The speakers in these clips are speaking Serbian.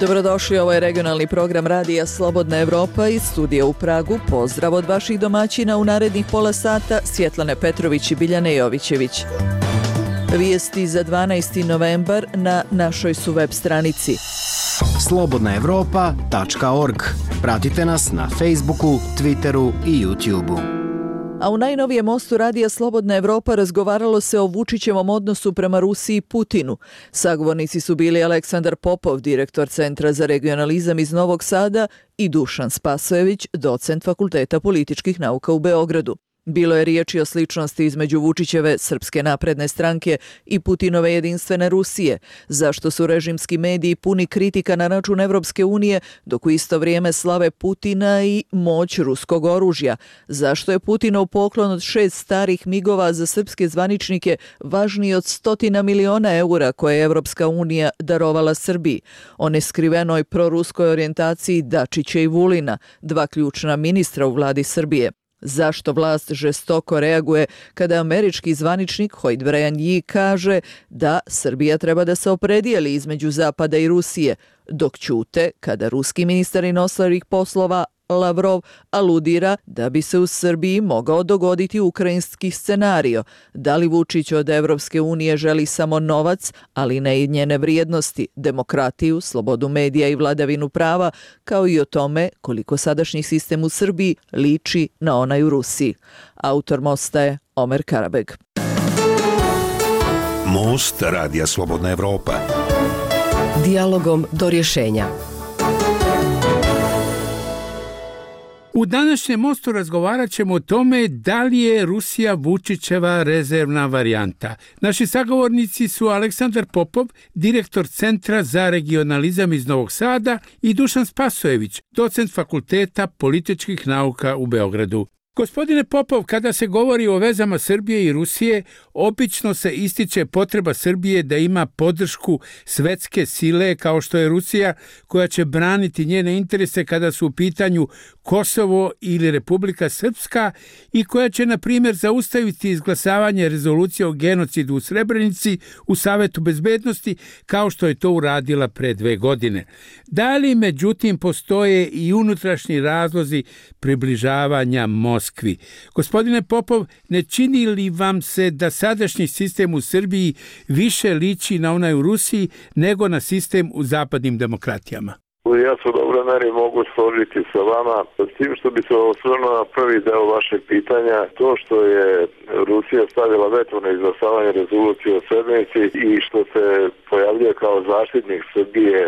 Dobrodošli, ovo je regionalni program Radija Slobodna Evropa iz studija u Pragu. Pozdrav od vaših domaćina u narednih pola sata, Svjetlane Petrović i Biljane Jovićević. Vijesti za 12. novembar na našoj su web stranici slobodnaevropa.org. Pratite nas na Facebooku, Twitteru i YouTubeu. A u najnovijem mostu Radija Slobodna Evropa razgovaralo se o Vučićevom odnosu prema Rusiji i Putinu. Sagovornici su bili Aleksandar Popov, direktor Centra za regionalizam iz Novog Sada, i Dušan Spasojević, docent Fakulteta političkih nauka u Beogradu. Bilo je riječi o sličnosti između Vučićeve Srpske napredne stranke i Putinove jedinstvene Rusije, zašto su režimski mediji puni kritika na račun Evropske unije, dok u isto vrijeme slave Putina i moć ruskog oružja, zašto je Putinov poklon od 6 starih migova za srpske zvaničnike važniji od 100 miliona eura koje je Evropska unija darovala Srbiji, o neskrivenoj proruskoj orijentaciji Dačića i Vulina, dva ključna ministra u vladi Srbije. Zašto vlast žestoko reaguje kada američki zvaničnik Hoyt Bryan Yee kaže da Srbija treba da se opredijeli između Zapada i Rusije, dok ćute kada ruski ministar inostranih poslova Lavrov aludira da bi se u Srbiji mogao dogoditi ukrajinski scenario. Da li Vučić od Evropske unije želi samo novac, ali ne i njene vrijednosti, demokratiju, slobodu medija i vladavinu prava, kao i o tome koliko sadašnji sistem u Srbiji liči na onaj u Rusiji. Autor mosta je Omer Karabeg. Most Radija Slobodna Evropa. Dijalogom do rješenja. U današnjem mostu razgovarat ćemo o tome da li je Rusija Vučićeva rezervna varijanta. Naši sagovornici su Aleksandar Popov, direktor Centra za regionalizam iz Novog Sada, i Dušan Spasojević, docent Fakulteta političkih nauka u Beogradu. Gospodine Popov, kada se govori o vezama Srbije i Rusije, obično se ističe potreba Srbije da ima podršku svetske sile kao što je Rusija, koja će braniti njene interese kada su u pitanju Kosovo ili Republika Srpska i koja će, na primjer, zaustaviti izglasavanje rezolucije o genocidu u Srebrenici u Savetu bezbednosti, kao što je to uradila pre 2 godine. Da li, međutim, postoje i unutrašnji razlozi približavanja Moskvi? Gospodine Popov, ne čini li vam se da sadašnji sistem u Srbiji više liči na onaj u Rusiji nego na sistem u zapadnim demokratijama? Ja se u dobroj meri mogu složiti sa vama, s tim što bi se osvrnuo na prvi deo vašeg pitanja, to što je Rusija stavila veto na izglasavanje rezolucije o Srebrenici i što se pojavljuje kao zaštitnik Srbije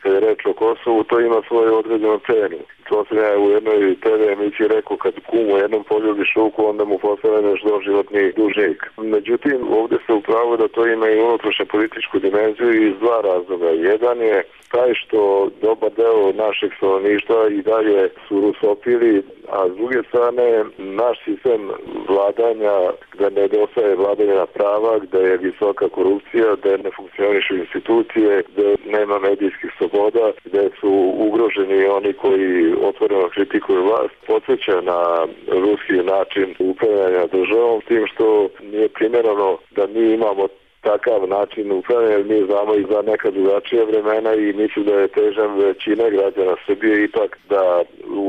kada je reč o Kosovu, to ima svoju određenu cenu. To sam ja u jednoj TV emisiji rekao, kad kum u jednom poljubi šuku, onda mu postavljaš doživotni dužnik. Međutim, ovdje se upravo da to ima i unutrašnju političku dimenziju iz 2 razloga. Jedan je taj što dobar deo našeg stanovništva i dalje su rusofili, a s druge strane naš sistem vladanja, gdje nedostaje vladavina prava, gdje je visoka korupcija, gdje ne funkcionišu institucije, gdje nema medijskih sloboda, gdje su ugroženi oni koji otvoreno kritikuju vlast, podsjeća na ruski način upravljanja državom, tim što nije primjereno da mi imamo takav način upravljanja, mi znamo i za neka drugačija vremena i mislim da je težan većina građana Srbije ipak da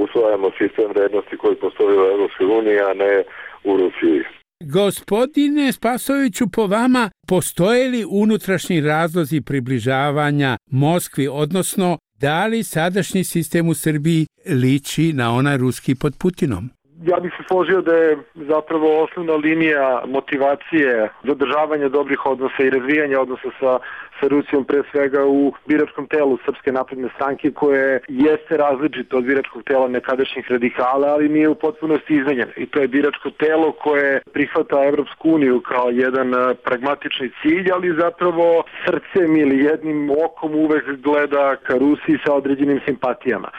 usvajamo sistem vrednosti koji postoji u Evropskoj uniji, a ne u Rusiji. Gospodine Spasojeviću, po vama, postoje li unutrašnji razlozi približavanja Moskvi, odnosno da li sadašnji sistem u Srbiji liči na onaj ruski pod Putinom? Ja bih se složio da je zapravo osnovna linija motivacije zadržavanja dobrih odnosa i razvijanja odnosa sa Rusijom pre svega u biračkom telu Srpske napredne stranke, koje jeste različito od biračkog tela nekadašnjih radikala, ali nije u potpunosti izmenjeno. I to je biračko telo koje prihvata Evropsku uniju kao jedan pragmatični cilj, ali zapravo srcem ili jednim okom uvek gleda ka Rusiji sa određenim simpatijama.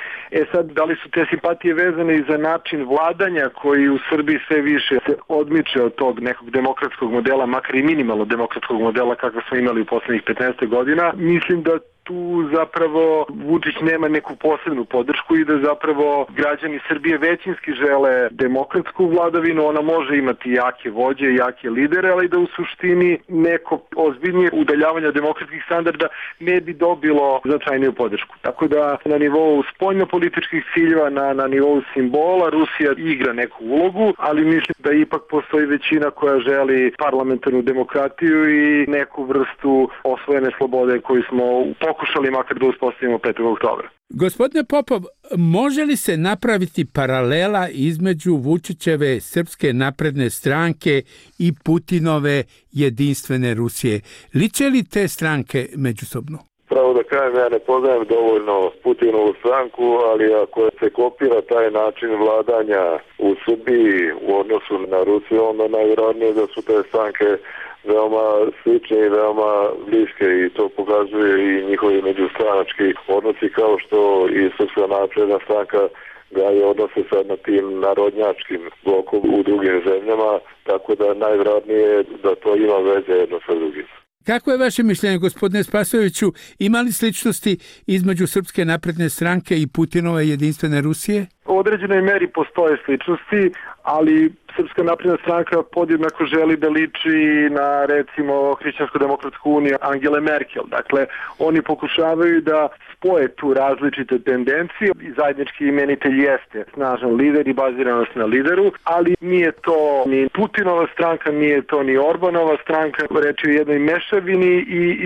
Sad, da li su te simpatije vezane i za način vladanja koji u Srbiji sve više se odmiče od tog nekog demokratskog modela, makar i minimalno demokratskog modela kakva smo imali u poslednjih 15 godina? Mislim da tu zapravo Vučić nema neku posebnu podršku i da zapravo građani Srbije većinski žele demokratsku vladavinu. Ona može imati jake vođe, jake lidere, ali da u suštini neko ozbiljnije udaljavanje demokratskih standarda ne bi dobilo značajniju podršku. Tako da na nivou spoljnopolitičkih ciljeva, na nivou simbola Rusija igra neku ulogu, ali mislim da ipak postoji većina koja želi parlamentarnu demokratiju i neku vrstu osvojene slobode koju smo pokušali makar da uspostavimo 5. oktobra. Gospodine Popov, može li se napraviti paralela između Vučićeve Srpske napredne stranke i Putinove jedinstvene Rusije? Liče li te stranke međusobno? Pravo da kažem, ja ne poznajem dovoljno Putinovu stranku, ali ako se kopira taj način vladanja u Srbiji u odnosu na Rusiju, onda najvjerojatnije da su te stranke veoma slične i veoma bliske i to pokazuje i njihovi međustranački odnosi, kao što i Srpska napredna stranka gaje odnose sad na tim narodnjačkim blokom u drugim zemljama, tako da najvjerojatnije da to ima veze jedno sa drugim. Kako je vaše mišljenje, gospodine Spasojeviću, ima li sličnosti između Srpske napredne stranke i Putinove jedinstvene Rusije? U određenoj meri postoje sličnosti, ali Srpska napredna stranka podjednako želi da liči na, recimo, Hrišćansko-demokratsku uniju Angele Merkel. Dakle, oni pokušavaju da spoje tu različite tendencije i zajednički imenitelj jeste snažan lider i baziranost na lideru, ali nije to ni Putinova stranka, nije to ni Orbanova stranka, reč je o jednoj mešavini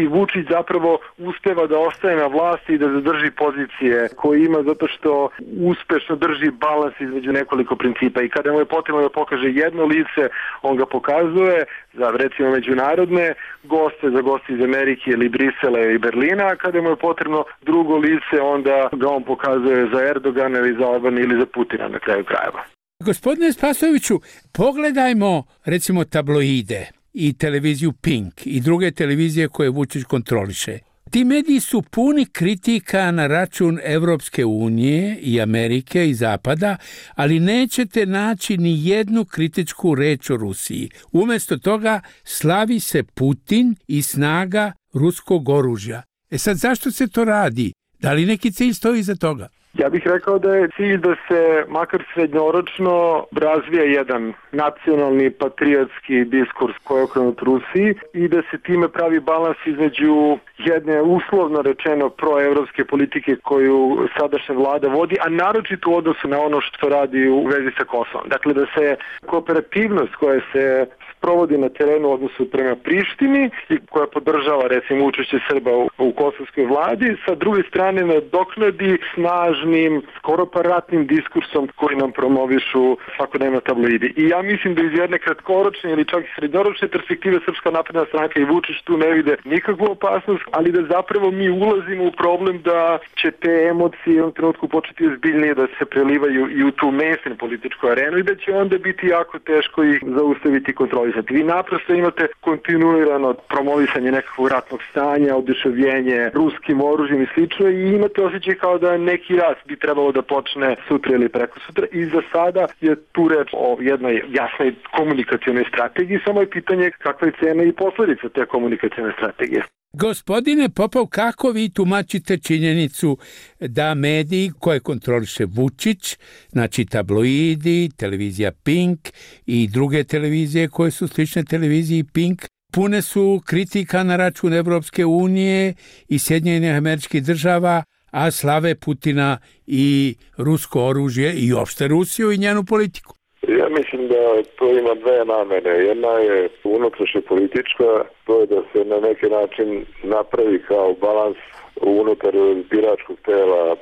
i Vučić zapravo uspeva da ostaje na vlasti i da zadrži pozicije koje ima zato što uspešno drži balans između nekoliko principa i kada mu je potrebno da pokaže jedno lice, on ga pokazuje za, recimo, međunarodne goste, za goste iz Amerike ili Brisela i Berlina, a kada mu je potrebno drugo lice, onda ga on pokazuje za Erdogana ili za Orbana ili za Putina na kraju krajeva. Gospodine Spasojeviću, pogledajmo, recimo, tabloide i televiziju Pink i druge televizije koje Vučić kontroliše. Ti mediji su puni kritika na račun Evropske unije i Amerike i Zapada, ali nećete naći ni jednu kritičku reč o Rusiji. Umjesto toga slavi se Putin i snaga ruskog oružja. Sad, zašto se to radi? Da li neki cilj stoji iza toga? Ja bih rekao da je cilj da se makar srednjoročno razvija jedan nacionalni patriotski diskurs koji je okrenut Rusiji i da se time pravi balans između jedne uslovno rečeno proevropske politike koju sadašnja vlada vodi, a naročito u odnosu na ono što radi u vezi sa Kosovom. Dakle, da se kooperativnost koja se provodi na terenu u odnosu prema Prištini i koja podržava, recimo, učešće Srba u kosovskoj vladi, sa druge strane nadoknadi snažnim, skoro pa ratnim diskursom koji nam promovišu svakodnevno tabloidi. I ja mislim da iz jedne kratkoročne ili čak i srednjoročne perspektive Srpska napredna stranka i Vučić tu ne vide nikakvu opasnost, ali da zapravo mi ulazimo u problem da će te emocije u jednom trenutku početi ozbiljnije da se prelivaju i u tu mainstream političku arenu i da će onda biti jako teško ih zaustaviti i kontrolisati. Vi naprosto imate kontinuirano promovisanje nekakvog ratnog stanja, oduševljenje ruskim oružjem i slično i imate osjećaj kao da neki rat bi trebalo da počne sutra ili preko sutra i za sada je tu reč o jednoj jasnoj komunikacionoj strategiji, samo je pitanje kakva je cena i posledica te komunikacione strategije. Gospodine Popov, kako vi tumačite činjenicu da mediji koje kontroliše Vučić, znači tabloidi, televizija Pink i druge televizije koje su slične televiziji Pink, pune su kritika na račun Evropske unije i Sjedinjenih Američkih Država, a slave Putina i rusko oružje i opšte Rusiju i njenu politiku? Ja mislim da to ima dve namene. Jedna je unutrašnja politička, to je da se na neki način napravi kao balans unutar biračkog tela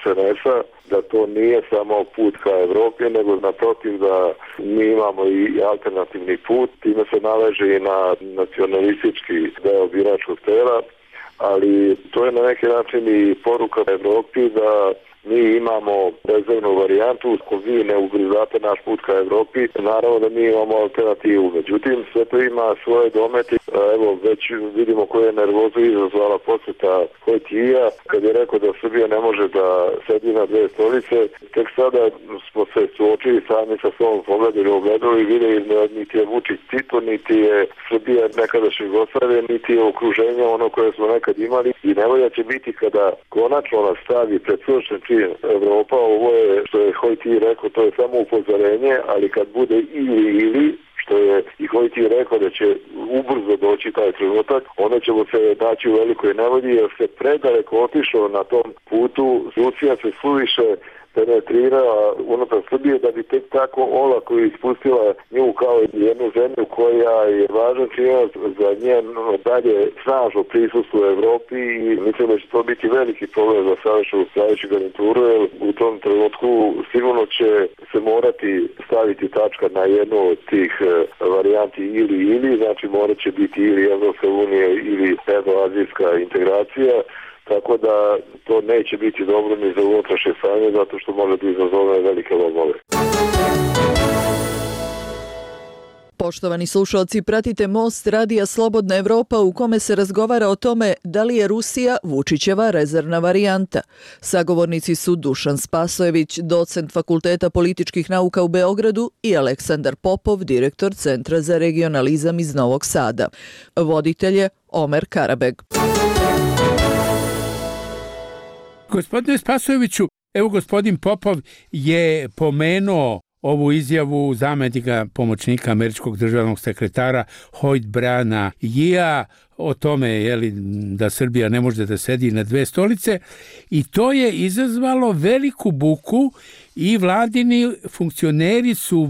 SNS-a, da to nije samo put ka Evropi, nego naprotiv da mi imamo i alternativni put, time se naleže i na nacionalistički deo biračkog tela, ali to je na neki način i poruka Evropi da mi imamo rezervnu varijantu, ako vi ne ugrizate naš put ka Evropi, naravno da mi imamo alternativu. Međutim, sve to ima svoje domete Evo, već vidimo koje je nervozu izazvala posjeta Hojtija, kad je rekao da Srbija ne može da sedi na dve stolice. Tek sada smo se suočili sami sa svom pogledom ogledali i vidjeli niti je Vučić Tito, niti je Srbija nekadašnja Jugoslavija, niti je okruženje ono koje smo nekad imali. I nevolja će biti kada konačno nas stavi pred svršen čin Evropa. Ovo je, što je Hojtij rekao, to je samo upozorenje, ali kad bude ili što je i Hojtij rekao da će ubrzo doći taj trenutak, onda ćemo se naći u velikoj nevolji jer se predaleko otišao na tom putu. Rusija se suviše penetrirala unutar Srbije da bi tek tako olako ispustila nju kao jednu zemlju koja je važan činac za njeno dalje snažno prisustvo u Evropi i mislim da će to biti veliki problem za sadašnju garnituru jer u tom trenutku sigurno će se morati staviti tačka na jednu od tih varijanti ili, znači morat će biti ili Evropska unija ili evroazijska integracija. Tako da to neće biti dobro ni za unutrašnje stanje, zato što može da izazove velike lomove. Poštovani slušalci, pratite Most Radija Slobodna Evropa u kome se razgovara o tome da li je Rusija Vučićeva rezervna varijanta. Sagovornici su Dušan Spasojević, docent Fakulteta političkih nauka u Beogradu i Aleksandar Popov, direktor Centra za regionalizam iz Novog Sada. Voditelj je Omer Karabeg. Gospodine Spasojeviću, evo gospodin Popov je pomenuo ovu izjavu zamjenika pomoćnika američkog državnog sekretara Hoyt Briana Yea o tome da Srbija ne može da sedi na dve stolice i to je izazvalo veliku buku i vladini funkcioneri su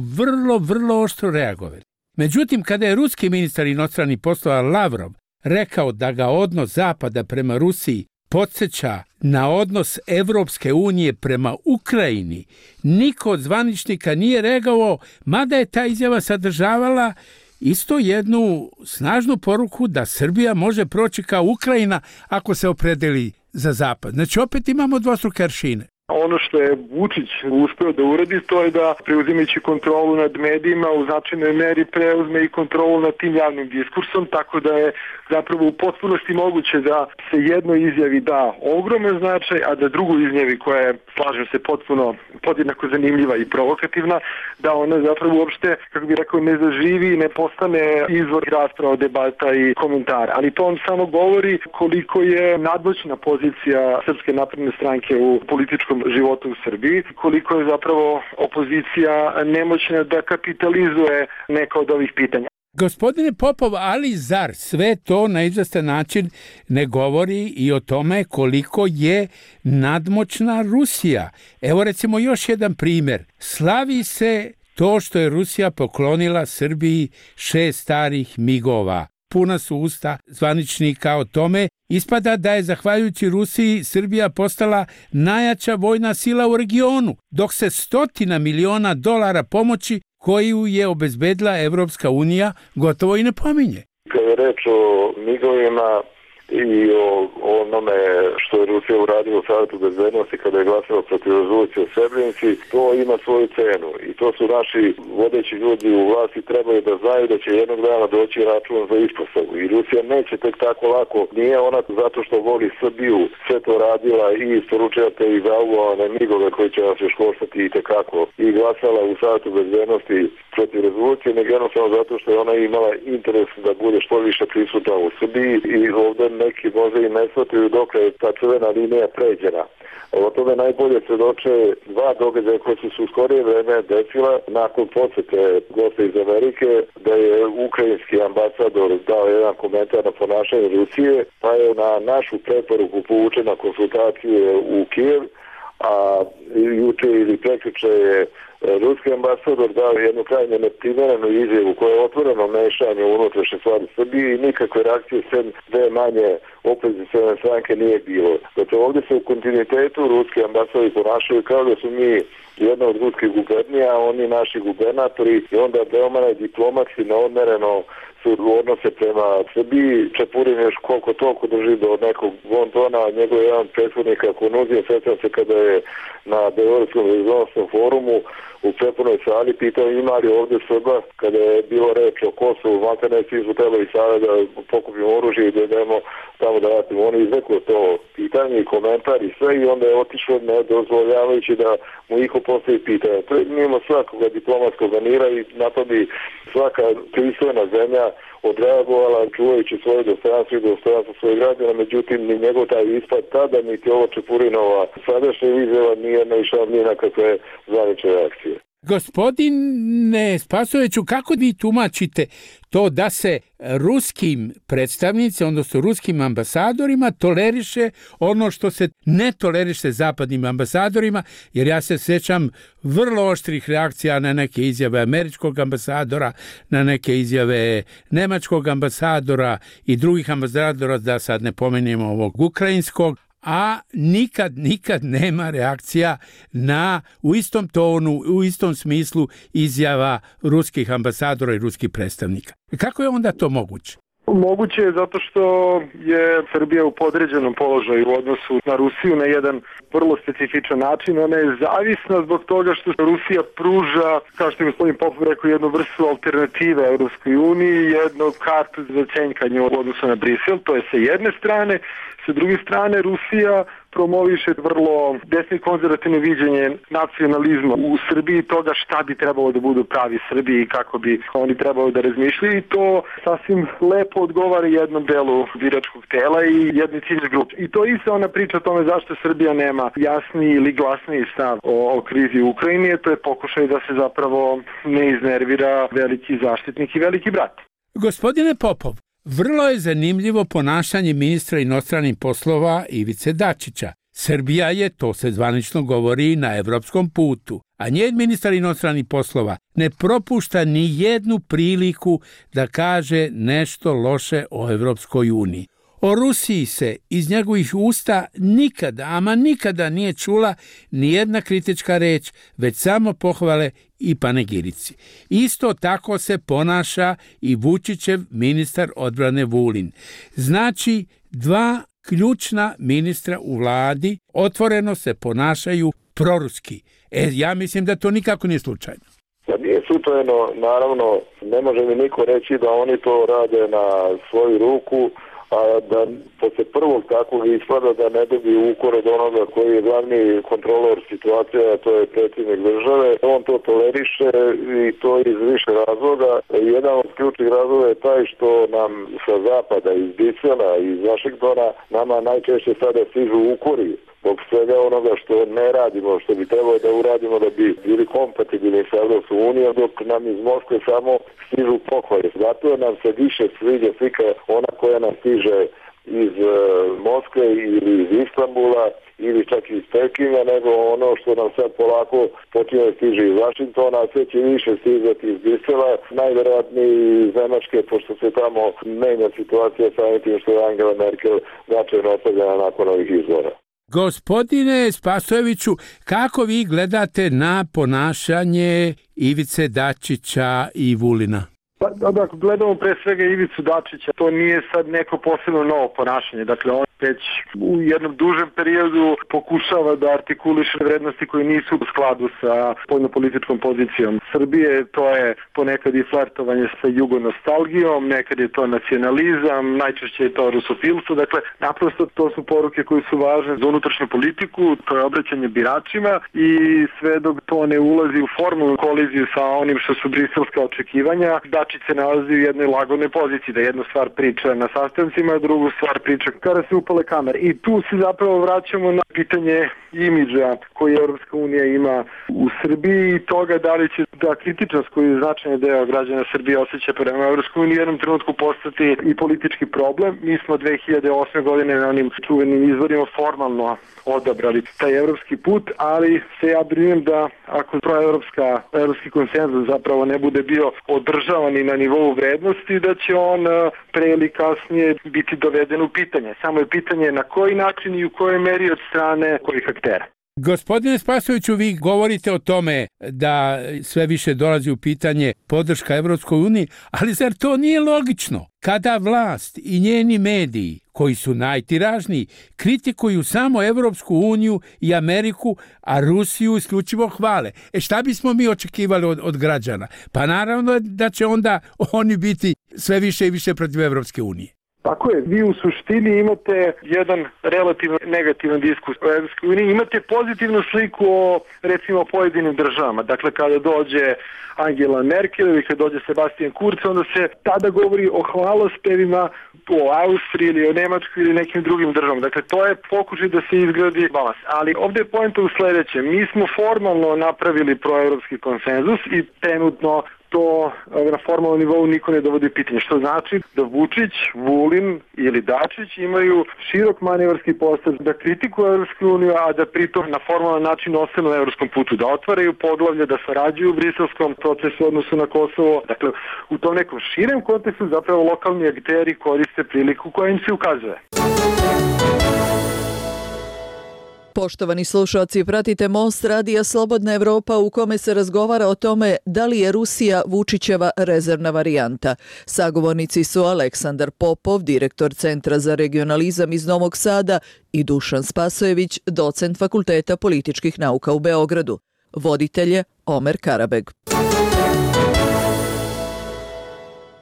vrlo oštro reagovali. Međutim, kada je ruski ministar inostranih poslova Lavrov rekao da ga odnos Zapada prema Rusiji podsjeća na odnos Evropske unije prema Ukrajini, niko od zvaničnika nije reagovao, mada je ta izjava sadržavala isto jednu snažnu poruku da Srbija može proći kao Ukrajina ako se opredeli za Zapad. Znači opet imamo dvostruke aršine. Ono što je Vučić uspeo da uradi, to je da preuzimajući kontrolu nad medijima u značajnoj meri preuzme i kontrolu nad tim javnim diskursom, tako da je zapravo u potpunosti moguće da se jednoj izjavi da ogroman značaj, a da drugoj izjavi koja je, slažem se, potpuno podjednako zanimljiva i provokativna, da ona zapravo uopšte, kako bih rekao, ne zaživi, ne postane izvor rasprava, debata i komentara. Ali to on samo govori koliko je nadmoćna pozicija Srpske napredne stranke u političkom životu u Srbiji, koliko je zapravo opozicija nemoćna da kapitalizuje neka od ovih pitanja. Gospodine Popov, ali zar sve to na izvestan način ne govori i o tome koliko je nadmoćna Rusija? Evo recimo još jedan primjer. Slavi se to što je Rusija poklonila Srbiji 6 starih migova. Puna su usta zvaničnika o tome. Ispada da je zahvaljujući Rusiji Srbija postala najjača vojna sila u regionu, dok se $100 miliona pomoći koju je obezbedila Evropska unija gotovo i ne pominje. Kada je reč o migovima i o onome što je Rusija uradila u Savetu bezbednosti kada je glasala protiv rezolucije o Srebrenici, to ima svoju cenu i to su naši vodeći ljudi u vlasti trebaju da znaju da će jednog dana doći račun za ispostavu i Rusija neće tek tako lako, nije ona zato što voli Srbiju sve to radila i isporučila te i zauvovane migove koji će nas još koštati i tekako i glasala u Savetu bezbednosti protiv rezolucije, nego jednostavno zato što je ona imala interes da bude što više prisutna u Srbiji i ovdje neki možda i ne shvataju dok je ta crvena linija pređena. O tome najbolje svedoče dva događaja koje su se u skorije vreme desila nakon posete gosta iz Amerike, da je ukrajinski ambasador dao jedan komentar na ponašanje Rusije, pa je na našu preporuku povučena konsultacije u Kijev, a juče ili prekjuče je ruski ambasador dao jednu krajnje neprimerenu izjavu koja je otvoreno mešanje u unutrašnje stvari Srbije i nikakve reakcije sem dve manje opozicijone stranke nije bilo. Dakle, ovdje se u kontinuitetu ruski ambasadori ponašaju kao da su mi jedna od ruskih gubernija, oni naši gubernatori i onda veoma diplomatski neodmereno su odnose prema Srbiji. Čepurin još koliko toliko drži do nekog bontona, njegov jedan prethodnik ako nuzio, sjećam se kada je na Beogradskom rezonanskom forumu u prepunoj sali pitao ima li ovdje Srba, kada je bilo reč o Kosovu, makar svi su trebali sada da pokupimo oružje i da idemo tamo da ratimo. Oni izrekao to pitanje i komentar i sve i onda je otišao ne dozvoljavajući da mu iko postavi pitanje. To je mimo svakoga diplomatskog manira i na to bi svaka pristojna zemlja odreagovala čuvajući svoje dostojanstvo i dostojanstvo svojih građana, međutim ni njegov taj ispad tada, niti ovo Čepurinova sadašnja izjava nije naišao ni na kakve zvanične reakcije. Gospodine Spasojeviću, kako vi tumačite to da se ruskim predstavnicima, odnosno ruskim ambasadorima toleriše ono što se ne toleriše zapadnim ambasadorima, jer ja se sjećam vrlo oštrih reakcija na neke izjave američkog ambasadora, na neke izjave nemačkog ambasadora i drugih ambasadora, da sad ne pomenemo ovog ukrajinskog, a nikad nema reakcija na u istom tonu, u istom smislu izjava ruskih ambasadora i ruskih predstavnika. Kako je onda to moguće? Moguće je zato što je Srbija u podređenom položaju u odnosu na Rusiju na jedan vrlo specifičan način. Ona je zavisna zbog toga što Rusija pruža, kao što je gospodin Popov rekao, jednu vrstu alternative Europskoj uniji, jednu kartu za cenjkanje u odnosu na Brisel. To je sa jedne strane. Sa druge strane, Rusija promoviše vrlo desno konzervativno viđenje nacionalizma u Srbiji, toga šta bi trebalo da budu pravi Srbiji i kako bi oni trebalo da razmišljaju, i to sasvim lepo odgovara jednom delu biračkog tela i jednoj ciljnoj grupi. I to isto ona priča o tome zašto Srbija nema jasniji ili glasniji stav o krizi u Ukrajini, to je pokušaj da se zapravo ne iznervira veliki zaštitnik i veliki brat. Gospodine Popov, vrlo je zanimljivo ponašanje ministra inostranih poslova Ivice Dačića. Srbija je, to se zvanično govori, na evropskom putu, a njen ministar inostranih poslova ne propušta ni jednu priliku da kaže nešto loše o Evropskoj uniji. O Rusiji se iz njegovih usta nikada nije čula ni jedna kritička reč, već samo pohvale i panegirici. Isto tako se ponaša i Vučićev ministar odbrane Vulin. Znači, dva ključna ministra u vladi otvoreno se ponašaju proruski. Ja mislim da to nikako nije slučajno. Da nije slučajno, naravno, ne može mi niko reći da oni to rade na svoju ruku, a da posle prvog takvog ispada da ne dobiju ukor od onoga koji je glavni kontrolor situacije, a to je predsjednik države. On to toleriše i to iz više razloga. Jedan od ključnih razloga je taj što nam sa zapada, iz Brisela, iz Vašingtona, nama najčešće sada stižu ukori zbog svega onoga što ne radimo, što bi trebalo da uradimo da bi bili kompatibilni sa Evropskom unijom, dok nam iz Moskve samo stižu pohvale. Zato nam se više sviđa slika ona koja nam stiže iz Moskve ili iz Istanbula ili čak iz Pekinga, nego ono što nam sad polako počinje da stiže iz Vašingtona, a sve će više stizati iz Brisela, najverovatnije iz Nemačke, pošto se tamo menja situacija sa tim što je Angela Merkel značajno ostavljena nakon ovih izbora. Gospodine Spasojeviću, kako vi gledate na ponašanje Ivice Dačića i Vulina? Pa, ako gledamo pre svega Ivicu Dačića, to nije sad neko posebno novo ponašanje. Dakle, on već u jednom dužem periodu pokušava da artikuliše vrednosti koje nisu u skladu sa spoljnopolitičkom pozicijom Srbije. To je ponekad i flertovanje sa jugonostalgijom, nekad je to nacionalizam, najčešće je to rusofilstvo. Dakle, naprosto to su poruke koje su važne za unutrašnju politiku, to je obraćanje biračima i sve dok to ne ulazi u formalnu koliziju sa onim što su briselska očekivanja, Dačić se nalazi u jednoj lagodnoj poziciji, da jednu stvar priča na sastancima, a drugu stvar priča kada se upale kamere. I tu se zapravo vraćamo na pitanje imidža koji Europska unija ima u Srbiji i toga da li će ta kritičnost koju je značajni deo građana Srbije osjeća prema Europskoj uniji u jednom trenutku postati i politički problem. Mi smo 2008. godine na onim čuvenim izborima formalno odabrali taj evropski put, ali se ja brinem da ako evropski konsenzus zapravo ne bude bio održavan i na nivou vrednosti, da će on pre ili kasnije biti doveden u pitanje. Samo je pitanje na koji način i u kojoj meri od strane kojih aktera. Gospodine Spasojeviću, vi govorite o tome da sve više dolazi u pitanje podrška Evropskoj uniji, ali zar to nije logično? Kada vlast i njeni mediji, koji su najtiražniji, kritikuju samo Evropsku uniju i Ameriku, a Rusiju isključivo hvale. Šta bismo mi očekivali od građana? Pa naravno da će onda oni biti sve više i više protiv Evropske unije. Tako je, vi u suštini imate jedan relativno negativan diskus o Evropskoj uniji, imate pozitivnu sliku o, recimo, pojedinim državama. Dakle, kada dođe Angela Merkel ili kada dođe Sebastian Kurz, onda se tada govori o hvalospevima o Austriji ili o Nemačkoj ili nekim drugim državama. Dakle, to je pokušaj da se izgradi balans. Ali ovdje je poenta u sljedećem. Mi smo formalno napravili proevropski konsenzus i trenutno to na formalnom nivou niko ne dovodi pitanje. Što znači da Vučić, Vulin ili Dačić imaju širok manevarski prostor da kritikuju Evropsku uniju, a da pritom na formalan način ostanu na evropskom putu, da otvaraju poglavlje, da sarađuju u briselskom procesu u odnosu na Kosovo. Dakle, u tom nekom širem kontekstu zapravo lokalni akteri koriste priliku koja im se ukazuje. Poštovani slušalci, pratite Most radija Slobodna Evropa u kome se razgovara o tome da li je Rusija Vučićeva rezervna varijanta. Sagovornici su Aleksandar Popov, direktor Centra za regionalizam iz Novog Sada, i Dušan Spasojević, docent Fakulteta političkih nauka u Beogradu. Voditelj je Omer Karabeg.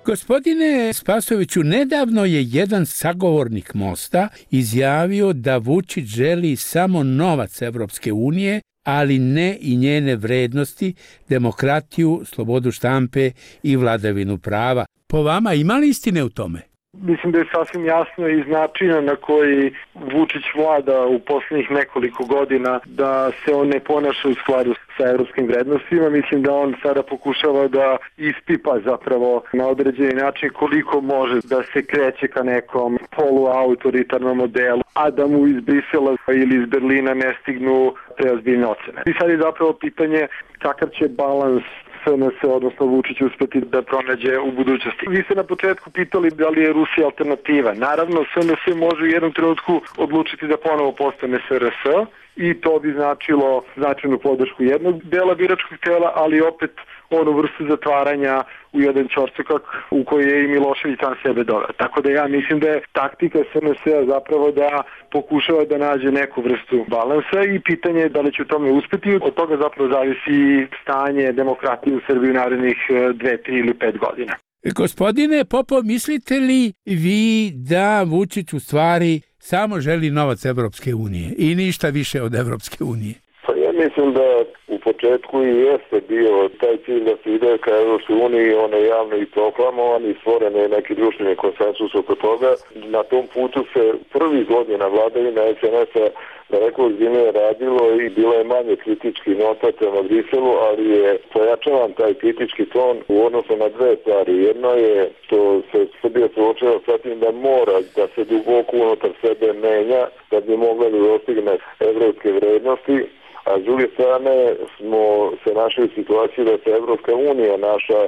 Gospodine Spasojeviću, nedavno je jedan sagovornik Mosta izjavio da Vučić želi samo novac Evropske unije, ali ne i njene vrednosti, demokratiju, slobodu štampe i vladavinu prava. Po vama ima li istine u tome? Mislim da je sasvim jasno iz načina na koji Vučić vlada u posljednjih nekoliko godina da se on ne ponaša u skladu sa evropskim vrednostima. Mislim da on sada pokušava da ispipa zapravo na određeni način koliko može da se kreće ka nekom poluautoritarnom modelu, a da mu iz Brisela ili iz Berlina ne stignu preozbiljne ocene. I sad je zapravo pitanje kakav će balans SNS, odnosno Vučić, uspeti da pronađe u budućnosti. Vi ste na početku pitali da li je Rusija alternativa. Naravno, SNS može u jednom trenutku odlučiti da ponovo postane SRS i to bi značilo značajnu podršku jednog dela biračkog tela, ali opet onu vrstu zatvaranja u jedan ćorsokak u koji je i Milošević sam sebe doveo. Tako da ja mislim da je taktika SNS-a zapravo da pokušava da nađe neku vrstu balansa i pitanje je da li će u tome uspeti. Od toga zapravo zavisi stanje demokratije u Srbiji u narednih 2, 3 ili 5 godina. Gospodine Popov, mislite li vi da Vučić u stvari samo želi novac Evropske unije i ništa više od Evropske unije? Pa ja mislim da u početku i jeste bio taj cilj da se ide ka Evropskoj uniji, on je javno i proklamovan i stvoren je neki društveni konsensus oko toga. Na tom putu se prvi godina vladavine SNS-a daleko ozbiljnije radilo i bilo je manje kritički nota prema Briselu, ali je pojačavan taj kritički ton u odnosu na dve stvari. Jedno je što se Srbija suočava sa tim da mora da se duboko unutar sebe menja da bi mogla da dostigne evropske vrednosti, a s druge strane smo se našli u situaciji da se Evropska unija naša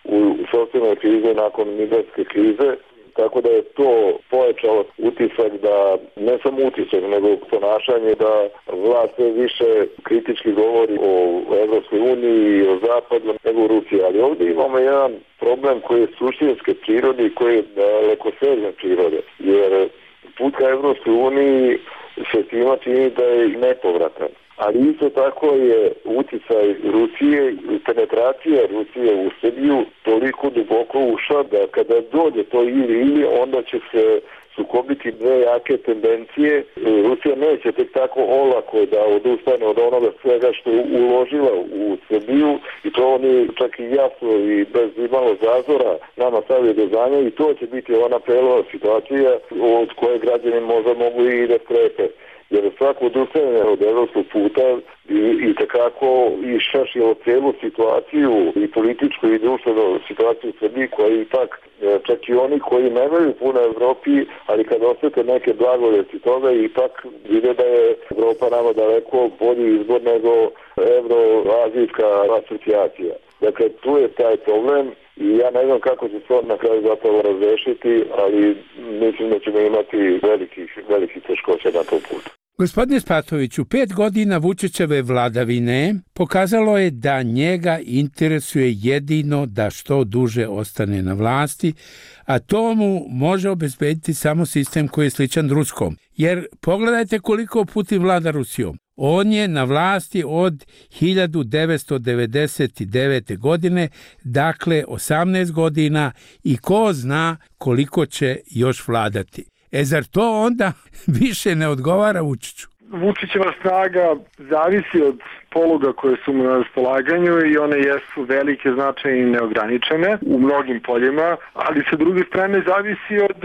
u sopstvenoj krizi nakon migrantske krize, tako da je to pojačalo utisak da, ne samo utisak, nego ponašanje da vlast sve više kritički govori o Evropskoj uniji i o Zapadu nego o Rusiji. Ali ovdje imamo jedan problem koji je suštinske prirode i koji je dalekosežne prirode, jer put ka Evropskoj uniji se svima čini da je nepovratan. Ali isto tako je uticaj Rusije i penetracija Rusije u Srbiju toliko duboko ušla da kada dođe to ili onda će se sukobiti dve jake tendencije. Rusija neće tek tako olako da odustane od onoga svega što je uložila u Srbiju i to oni čak i jasno i bez imalo zazora nama stavio do znanja i to će biti ona prelova situacija od koje građani možda mogu i da strepe. Jer svako odustajanje od evropskog puta i tekako išašilo celu situaciju i političku i društvenu situaciju u Srbiji koja je ipak, čak i oni koji nemaju puno Evropi, ali kad osjete neke blagodeti toga ipak vide da je Evropa nama daleko bolji izbor nego evroazijska asocijacija. Dakle, tu je taj problem i ja ne znam kako će se on na kraju zapravo razrešiti, ali mislim da ćemo imati velikih teškoća na tom putu. Gospodine Spasojeviću, 5 godina Vučićeve vladavine pokazalo je da njega interesuje jedino da što duže ostane na vlasti, a to mu može obezbediti samo sistem koji je sličan ruskom. Jer pogledajte koliko Putin vlada Rusijom. On je na vlasti od 1999. godine, dakle 18 godina i ko zna koliko će još vladati. Zar to onda više ne odgovara Vučiću? Vučićeva snaga zavisi od poluga koje su mu na raspolaganju i one jesu velike, značajne i neograničene u mnogim poljima, ali sa druge strane zavisi od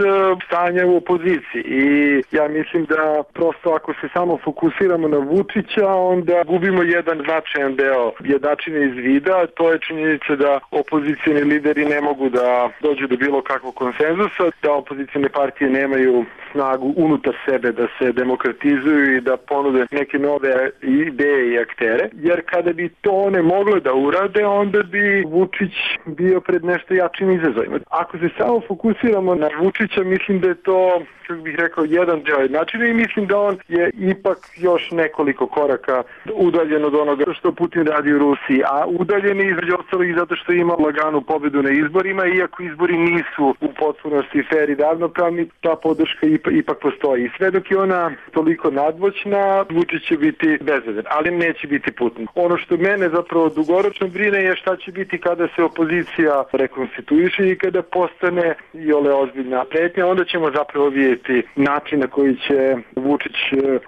stanja u opoziciji i ja mislim da prosto ako se samo fokusiramo na Vučića, onda gubimo jedan značajan deo jednačine iz vida, to je činjenica da opozicijni lideri ne mogu da dođu do bilo kakvog konsenzusa, da opozicijne partije nemaju snagu unutar sebe da se demokratizuju i da ponude neke nove ideje i aktere. Jer kada bi to one mogle da urade, onda bi Vučić bio pred nešto jačim izazovima. Ako se samo fokusiramo na Vučića, mislim da je to, kako bih rekao, jedan deo jednačine i mislim da on je ipak još nekoliko koraka udaljen od onoga što Putin radi u Rusiji, a udaljen je između ostalog i zato što ima laganu pobedu na izborima, iako izbori nisu u potpunosti fer i ravnopravni, ta podrška ipak postoji. I sve dok je ona toliko nadmoćna, Vučić će biti bezvedan, ali neće biti Putin. Ono što mene zapravo dugoročno brine je šta će biti kada se opozicija rekonstituiše i kada postane iole ozbiljna pretnja, onda ćemo zapravo vidjeti način na koji će Vučić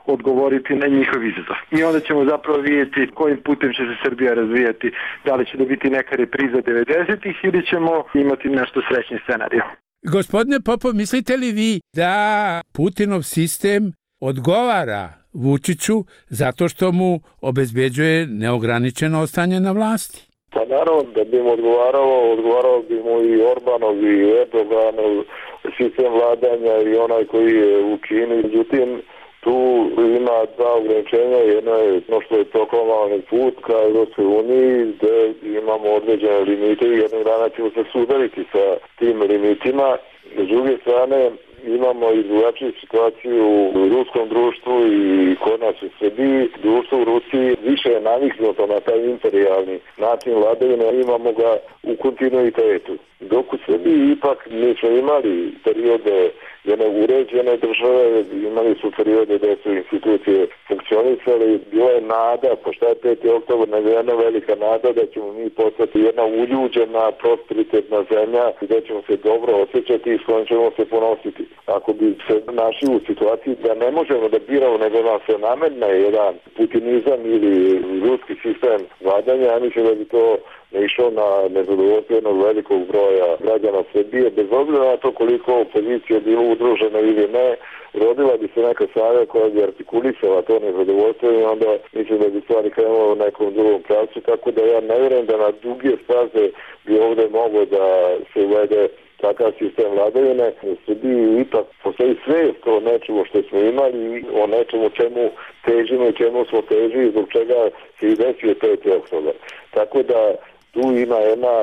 odgovoriti na njihov izazov. I onda ćemo zapravo vidjeti kojim putem će se Srbija razvijati, da li će da biti neka repriza 90-ih ili ćemo imati nešto srećni scenarij. Gospodine Popov, mislite li vi da Putinov sistem odgovara Vučiću zato što mu obezbeđuje neograničeno ostanje na vlasti? Pa naravno da bi mu odgovarao bi mu i Orbanov i Erdoganov sistem vladanja i onaj koji je u Kini. Međutim, tu ima dva ograničenja. Jedno je što je proklamovani put ka Europskoj uniji, gde imamo određene limite i jednog dana ćemo se sudariti sa tim limitima. S druge strane, imamo i drugačiju situaciju u ruskom društvu i kod nas u Srbiji. Društvo u Rusiji više je naviknuto na taj imperijalni način vladavine, imamo ga u kontinuitetu. Dok u Srbiji ipak mi smo imali periode jedne uređene države, imali su periode gde su institucije funkcionisale, bila je nada, pošto je 5. oktobar, nego jedna velika nada da ćemo mi postati jedna uljuđena, prosperitetna zemlja gde ćemo se dobro osjećati i s kojom ćemo se ponositi. Ako bi se našli u situaciji da ne možemo da biramo, nego nam se nametne jedan putinizam ili ruski sistem vladanja, ja mislim da bi to ne išao na nezadovoljstvo jednog velikog broja građana Srbije, bez obzira na to koliko opozicija bilo udružena ili ne, rodila bi se neka snaga koja bi artikulisala to nezadovoljstvo i onda mislim da bi stvari krenulo u nekom drugom pravcu, tako da ja ne vjerujem da na duge staze bi ovdje moglo da se uvede takav sistem vladavine. U Srbiji ipak postoji svijest o nečemu što smo imali i o nečemu čemu težimo i čemu smo težili, zbog čega se i desio 5. oktobar. Tako da tu ima jedna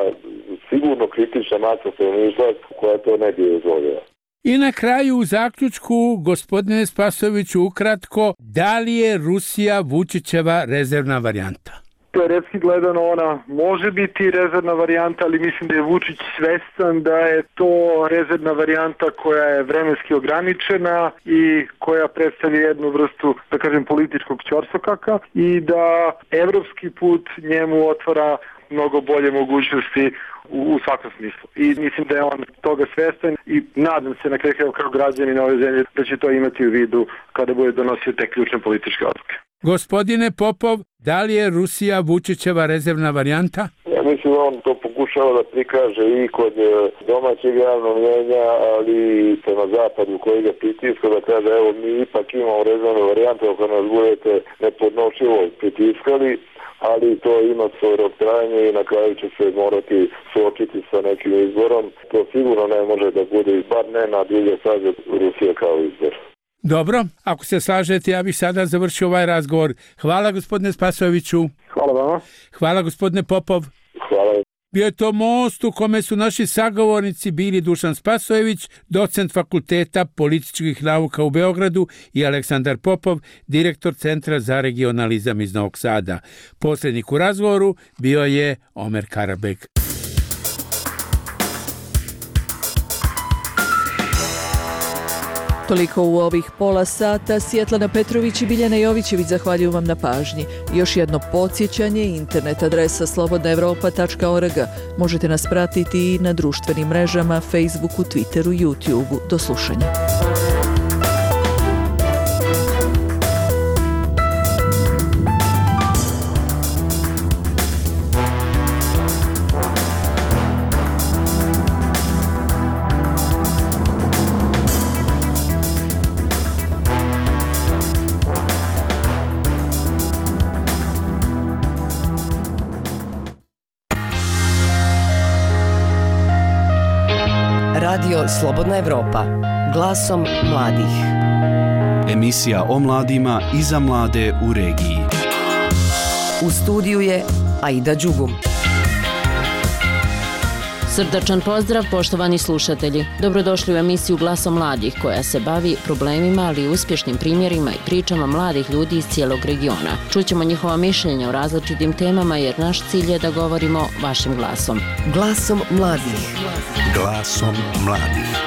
sigurno kritična masa stanovništva koja to ne bi dozvolila. I na kraju u zaključku, gospodine Spasojeviću, ukratko, da li je Rusija Vučićeva rezervna varijanta? Teoretski gledano ona može biti rezervna varijanta, ali mislim da je Vučić svestan da je to rezervna varijanta koja je vremenski ograničena i koja predstavlja jednu vrstu, da kažem, političkog ćorsokaka i da evropski put njemu otvara mnogo bolje mogućnosti u svakom smislu. I mislim da je on toga svestan i nadam se na kraju kao građanin ove zemlje da će to imati u vidu kada bude donosio te ključne političke odluke. Gospodine Popov, da li je Rusija Vučićeva rezervna varijanta? Ja mislim da on to pokušava da prikaže i kod domaćeg javnog mnjenja, ali i prema zapadu koji ga pritiska, da kaže evo mi ipak imamo rezervnu varijantu ako nas budete nepodnošljivo pritiskali, ali to ima svoj rok trajanja i na kraju će se morati suočiti sa nekim izborom. To sigurno ne može da bude, bar ne na dulje staze Rusije kao izbor. Dobro, ako se slažete, ja bih sada završio ovaj razgovor. Hvala gospodine Spasojeviću. Hvala vama. Hvala gospodine Popov. Hvala. Bio je to most u kome su naši sagovornici bili Dušan Spasojević, docent Fakulteta političkih nauka u Beogradu, i Aleksandar Popov, direktor Centra za regionalizam iz Novog Sada. Posrednik u razgovoru bio je Omer Karabek. Toliko u ovih pola sata. Svjetlana Petrović i Biljana Jovićević zahvaljuju vam na pažnji. Još jedno podsjećanje, internet adresa slobodnaevropa.org. Možete nas pratiti i na društvenim mrežama, Facebooku, Twitteru, YouTubeu. Do slušanja. Radio Slobodna Evropa. Glasom mladih. Emisija o mladima i za mlade u regiji. U studiju je Aida Đugum. Srdačan pozdrav, poštovani slušatelji. Dobrodošli u emisiju Glasom mladih, koja se bavi problemima, ali i uspješnim primjerima i pričama mladih ljudi iz cijelog regiona. Čućemo njihova mišljenja o različitim temama, jer naš cilj je da govorimo vašim glasom. Glasom mladih. Glasom mladih.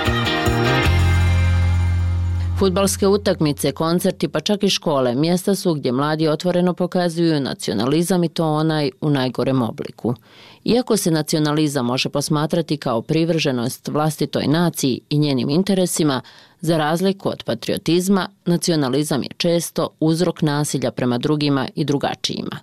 Fudbalske utakmice, koncerti, pa čak i škole, mjesta su gdje mladi otvoreno pokazuju nacionalizam, i to onaj u najgorem obliku. Iako se nacionalizam može posmatrati kao privrženost vlastitoj naciji i njenim interesima, za razliku od patriotizma, nacionalizam je često uzrok nasilja prema drugima i drugačijima.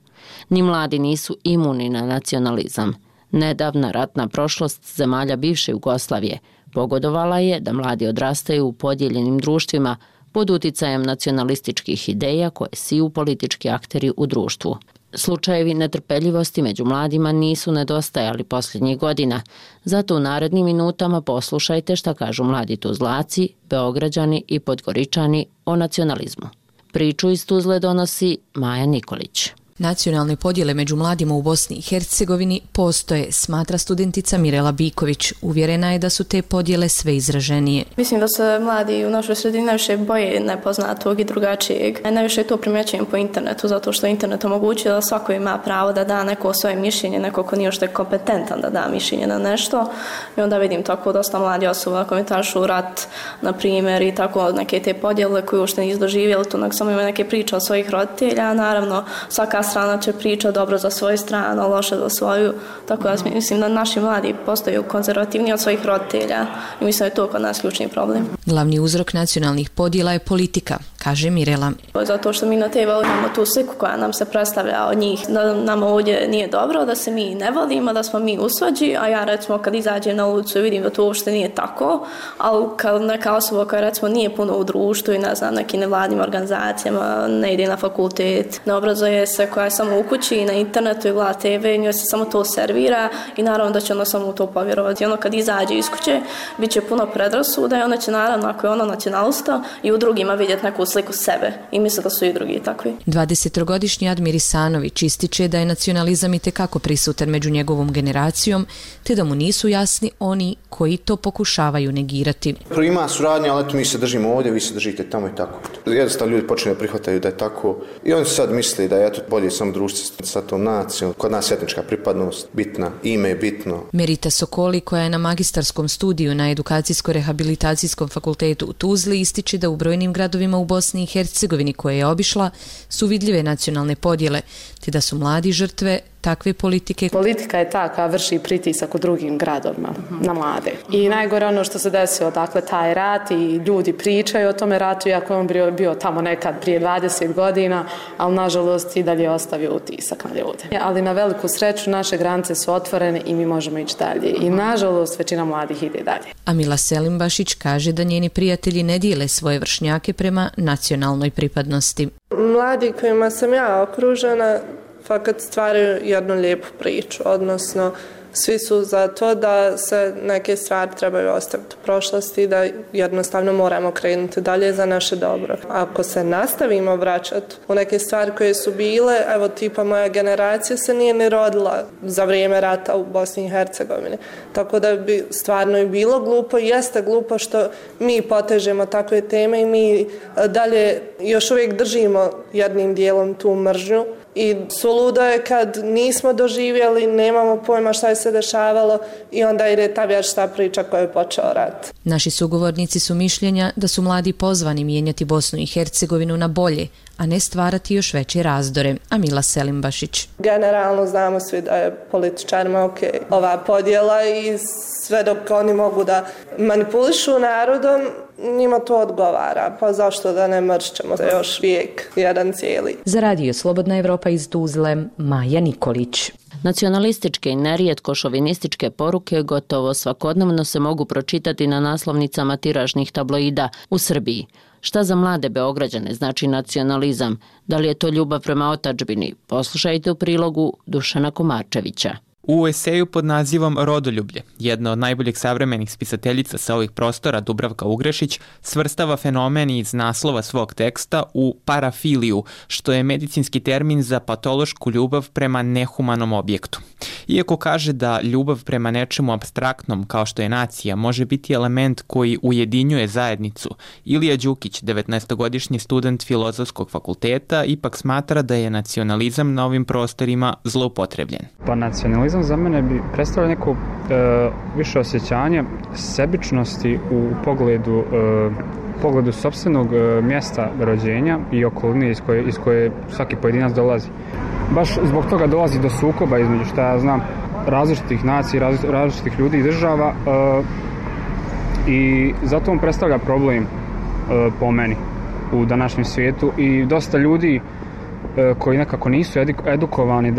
Ni mladi nisu imuni na nacionalizam. Nedavna ratna prošlost zemalja bivše Jugoslavije pogodovala je da mladi odrastaju u podijeljenim društvima pod uticajem nacionalističkih ideja koje siju politički akteri u društvu. Slučajevi netrpeljivosti među mladima nisu nedostajali posljednjih godina, zato u narednim minutama poslušajte šta kažu mladi Tuzlaci, Beograđani i Podgoričani o nacionalizmu. Priču iz Tuzle donosi Maja Nikolić. Nacionalne podjele među mladima u Bosni i Hercegovini postoje, smatra studentica Mirela Biković. Uvjerena je da su te podjele sve izraženije. Mislim da se mladi u našoj sredini najviše boje nepoznatog i drugačijeg. Najviše to primjećujem po internetu, zato što internet omogućuje da svako ima pravo da da neko svoje mišljenje, neko ko nije još kompetentan da da mišljenje na nešto. I onda vidim tako dosta mladi osoba komentarišu rat, na primjer, i tako neke te podjele koje uopšte nisu doživjeli, to nego samo imaju neke priče od svojih roditelja. Naravno, svaka strana će pričati dobro za svoju stranu, loše za svoju. Tako da mislim da naši mladi postaju konzervativni od svojih roditelja i mislim da je to kod nas ključni problem. Glavni uzrok nacionalnih podjela je politika, kaže Mirela. Zato što mi na TV imamo tu sliku koja nam se predstavlja od njih, da nam ovdje nije dobro, da se mi ne volimo, da smo mi usvađi, a ja recimo kad izađem na ulicu i vidim da to uopšte nije tako, ali kad neka osoba koja recimo nije puno u društvu i ne znam, nekim nevladnim organizacijama, ne ide na fakultet, ne obrazuje se, koja je samo u kući i na internetu i gleda TV, njoj se samo to servira i naravno da će ona samo u to povjerovati. Ono kad izađe iz kuće, bit će puno predrasuda i ona će naravno, ako je ona nacionalista, i u drugima vidjeti neku sliku sebe i misle da su i drugi takvi. 20-godišnji Admir Isanović ističe da je nacionalizam itekako prisutan među njegovom generacijom, te da mu nisu jasni oni koji to pokušavaju negirati. Ima suradnja, ali eto mi se držimo ovdje, vi se držite tamo i tako. Jednostavno ljudi počinju da prihvataju da je tako i oni sad misle da je eto bolje samo društvo sa tom nacijom. Kod nas etnička pripadnost bitna, ime je bitno. Merita Sokoli, koja je na magistarskom studiju na Edukacijsko-rehabilitacijskom fakultetu u Tuzli, ističe da u brojnim gradovima u Bosni i Hercegovini koje je obišla su vidljive nacionalne podjele, te da su mladi žrtve takve politike. Politika je ta koja vrši pritisak u drugim gradovima na mlade. I najgore ono što se desilo, dakle, taj rat i ljudi pričaju o tome ratu, iako je on bio tamo nekad prije 20 godina, ali nažalost i dalje ostavio utisak na ljude. Ali na veliku sreću naše granice su otvorene i mi možemo ići dalje. I nažalost većina mladih ide dalje. Amila Selimbašić kaže da njeni prijatelji ne dijele svoje vršnjake prema nacionalnoj pripadnosti. Mladi kojima sam ja okružena fakat stvaraju jednu lijepu priču, odnosno svi su za to da se neke stvari trebaju ostaviti u prošlosti, da jednostavno moramo krenuti dalje za naše dobro. Ako se nastavimo vraćati u neke stvari koje su bile, evo tipa moja generacija se nije ni rodila za vrijeme rata u Bosni i Hercegovini. Tako da bi stvarno i bilo glupo i jeste glupo što mi potežemo takve teme i mi dalje još uvijek držimo jednim dijelom tu mržnju. I suludo je kad nismo doživjeli, nemamo pojma šta je se dešavalo i onda ide ta vječita priča koja je počeo rat. Naši sugovornici su mišljenja da su mladi pozvani mijenjati Bosnu i Hercegovinu na bolje, a ne stvarati još veće razdore. Amila Selimbašić. Generalno znamo svi da je političarima ova podjela i sve dok oni mogu da manipulišu narodom, njima to odgovara. Pa zašto da ne mršćemo se još vijek jedan cijeli. Za Radio Slobodna Evropa iz Tuzle, Maja Nikolić. Nacionalističke i nerijetko šovinističke poruke gotovo svakodnevno se mogu pročitati na naslovnicama tiražnih tabloida u Srbiji. Šta za mlade Beograđane znači nacionalizam? Da li je to ljubav prema otadžbini? Poslušajte u prilogu Dušana Komarčevića. U eseju pod nazivom Rodoljublje, jedna od najboljih savremenih spisateljica sa ovih prostora, Dubravka Ugrešić, svrstava fenomen iz naslova svog teksta u parafiliju, što je medicinski termin za patološku ljubav prema nehumanom objektu. Iako kaže da ljubav prema nečemu apstraktnom, kao što je nacija, može biti element koji ujedinjuje zajednicu, Ilija Đukić, 19-godišnji student Filozofskog fakulteta, ipak smatra da je nacionalizam na ovim prostorima zloupotrebljen. Pa nacionalizam za mene bi predstavljao neko više osjećanje sebičnosti u pogledu sopstvenog mjesta rođenja i okoline iz koje svaki pojedinac dolazi. Baš zbog toga dolazi do sukoba između, šta ja znam, različitih nacija, različitih ljudi i država i zato on predstavlja problem po meni u današnjem svijetu i dosta ljudi koji nekako nisu edukovani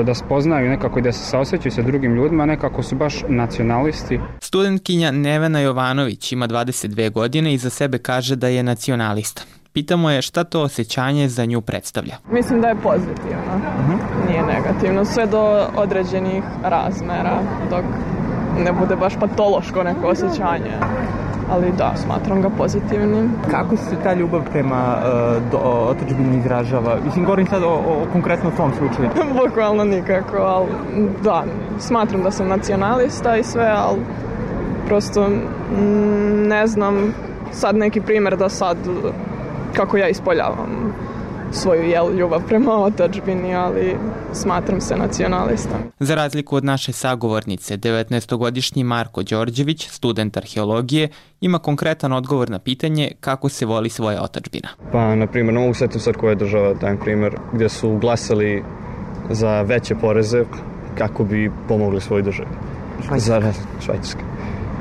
da spoznaju nekako i da se saosjećaju sa drugim ljudima, nekako su baš nacionalisti. Studentkinja Nevena Jovanović ima 22 godine i za sebe kaže da je nacionalista. Pitamo je šta to osjećanje za nju predstavlja. Mislim da je pozitivno, nije negativno, sve do određenih razmera, dok ne bude baš patološko neko osjećanje. Ali da, smatram ga pozitivnim. Kako se ta ljubav prema otadžbini izražava? Mislim, govorim sad o konkretno tom slučaju. Bukvalno nikako, ali da, smatram da sam nacionalista i sve, ali prosto ne znam sad neki primjer da sad kako ja ispoljavam svoju ljubav prema otadžbini, ali smatram se nacionalistom. Za razliku od naše sagovornice, 19-godišnji Marko Đorđević, student arheologije, ima konkretan odgovor na pitanje kako se voli svoja otadžbina. Pa, na primjer, ne mogu setiti sad koja je država, dajem primjer, gdje su glasali za veće poreze kako bi pomogli svojoj državi. Švajcarska.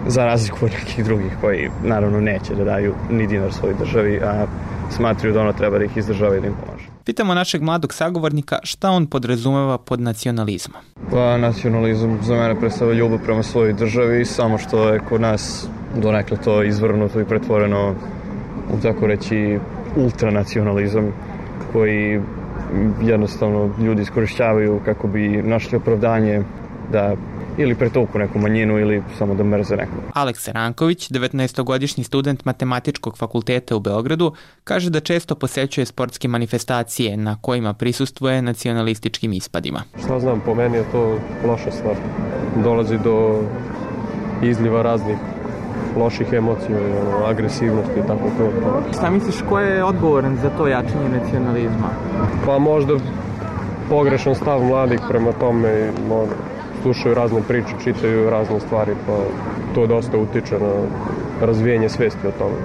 Za razliku od nekih drugih koji naravno neće da daju ni dinar svojoj državi, a smatruju da ono treba da ih izdržava i da im pomaže. Pitamo našeg mladog sagovornika šta on podrazumeva pod nacionalizmom. Pa nacionalizam za mene predstavlja ljubav prema svojoj državi, samo što je kod nas donekle to izvrnuto i pretvoreno u tako reći ultranacionalizam koji jednostavno ljudi iskorišćavaju kako bi našli opravdanje da ili pretuku neku manjinu ili samo da mrze nekog. Aleksa Ranković, 19-godišnji student Matematičkog fakulteta u Beogradu, kaže da često posećuje sportske manifestacije na kojima prisustvuje nacionalističkim ispadima. Šta znam, po meni je to loša stvar. Dolazi do izliva raznih loših emocija, agresivnosti i tako to. Šta misliš, ko je odgovoran za to jačanje nacionalizma? Pa možda pogrešan stav mladih prema tome, slušaju razne priče, čitaju razne stvari, pa to dosta utiče na razvijanje svesti o tome.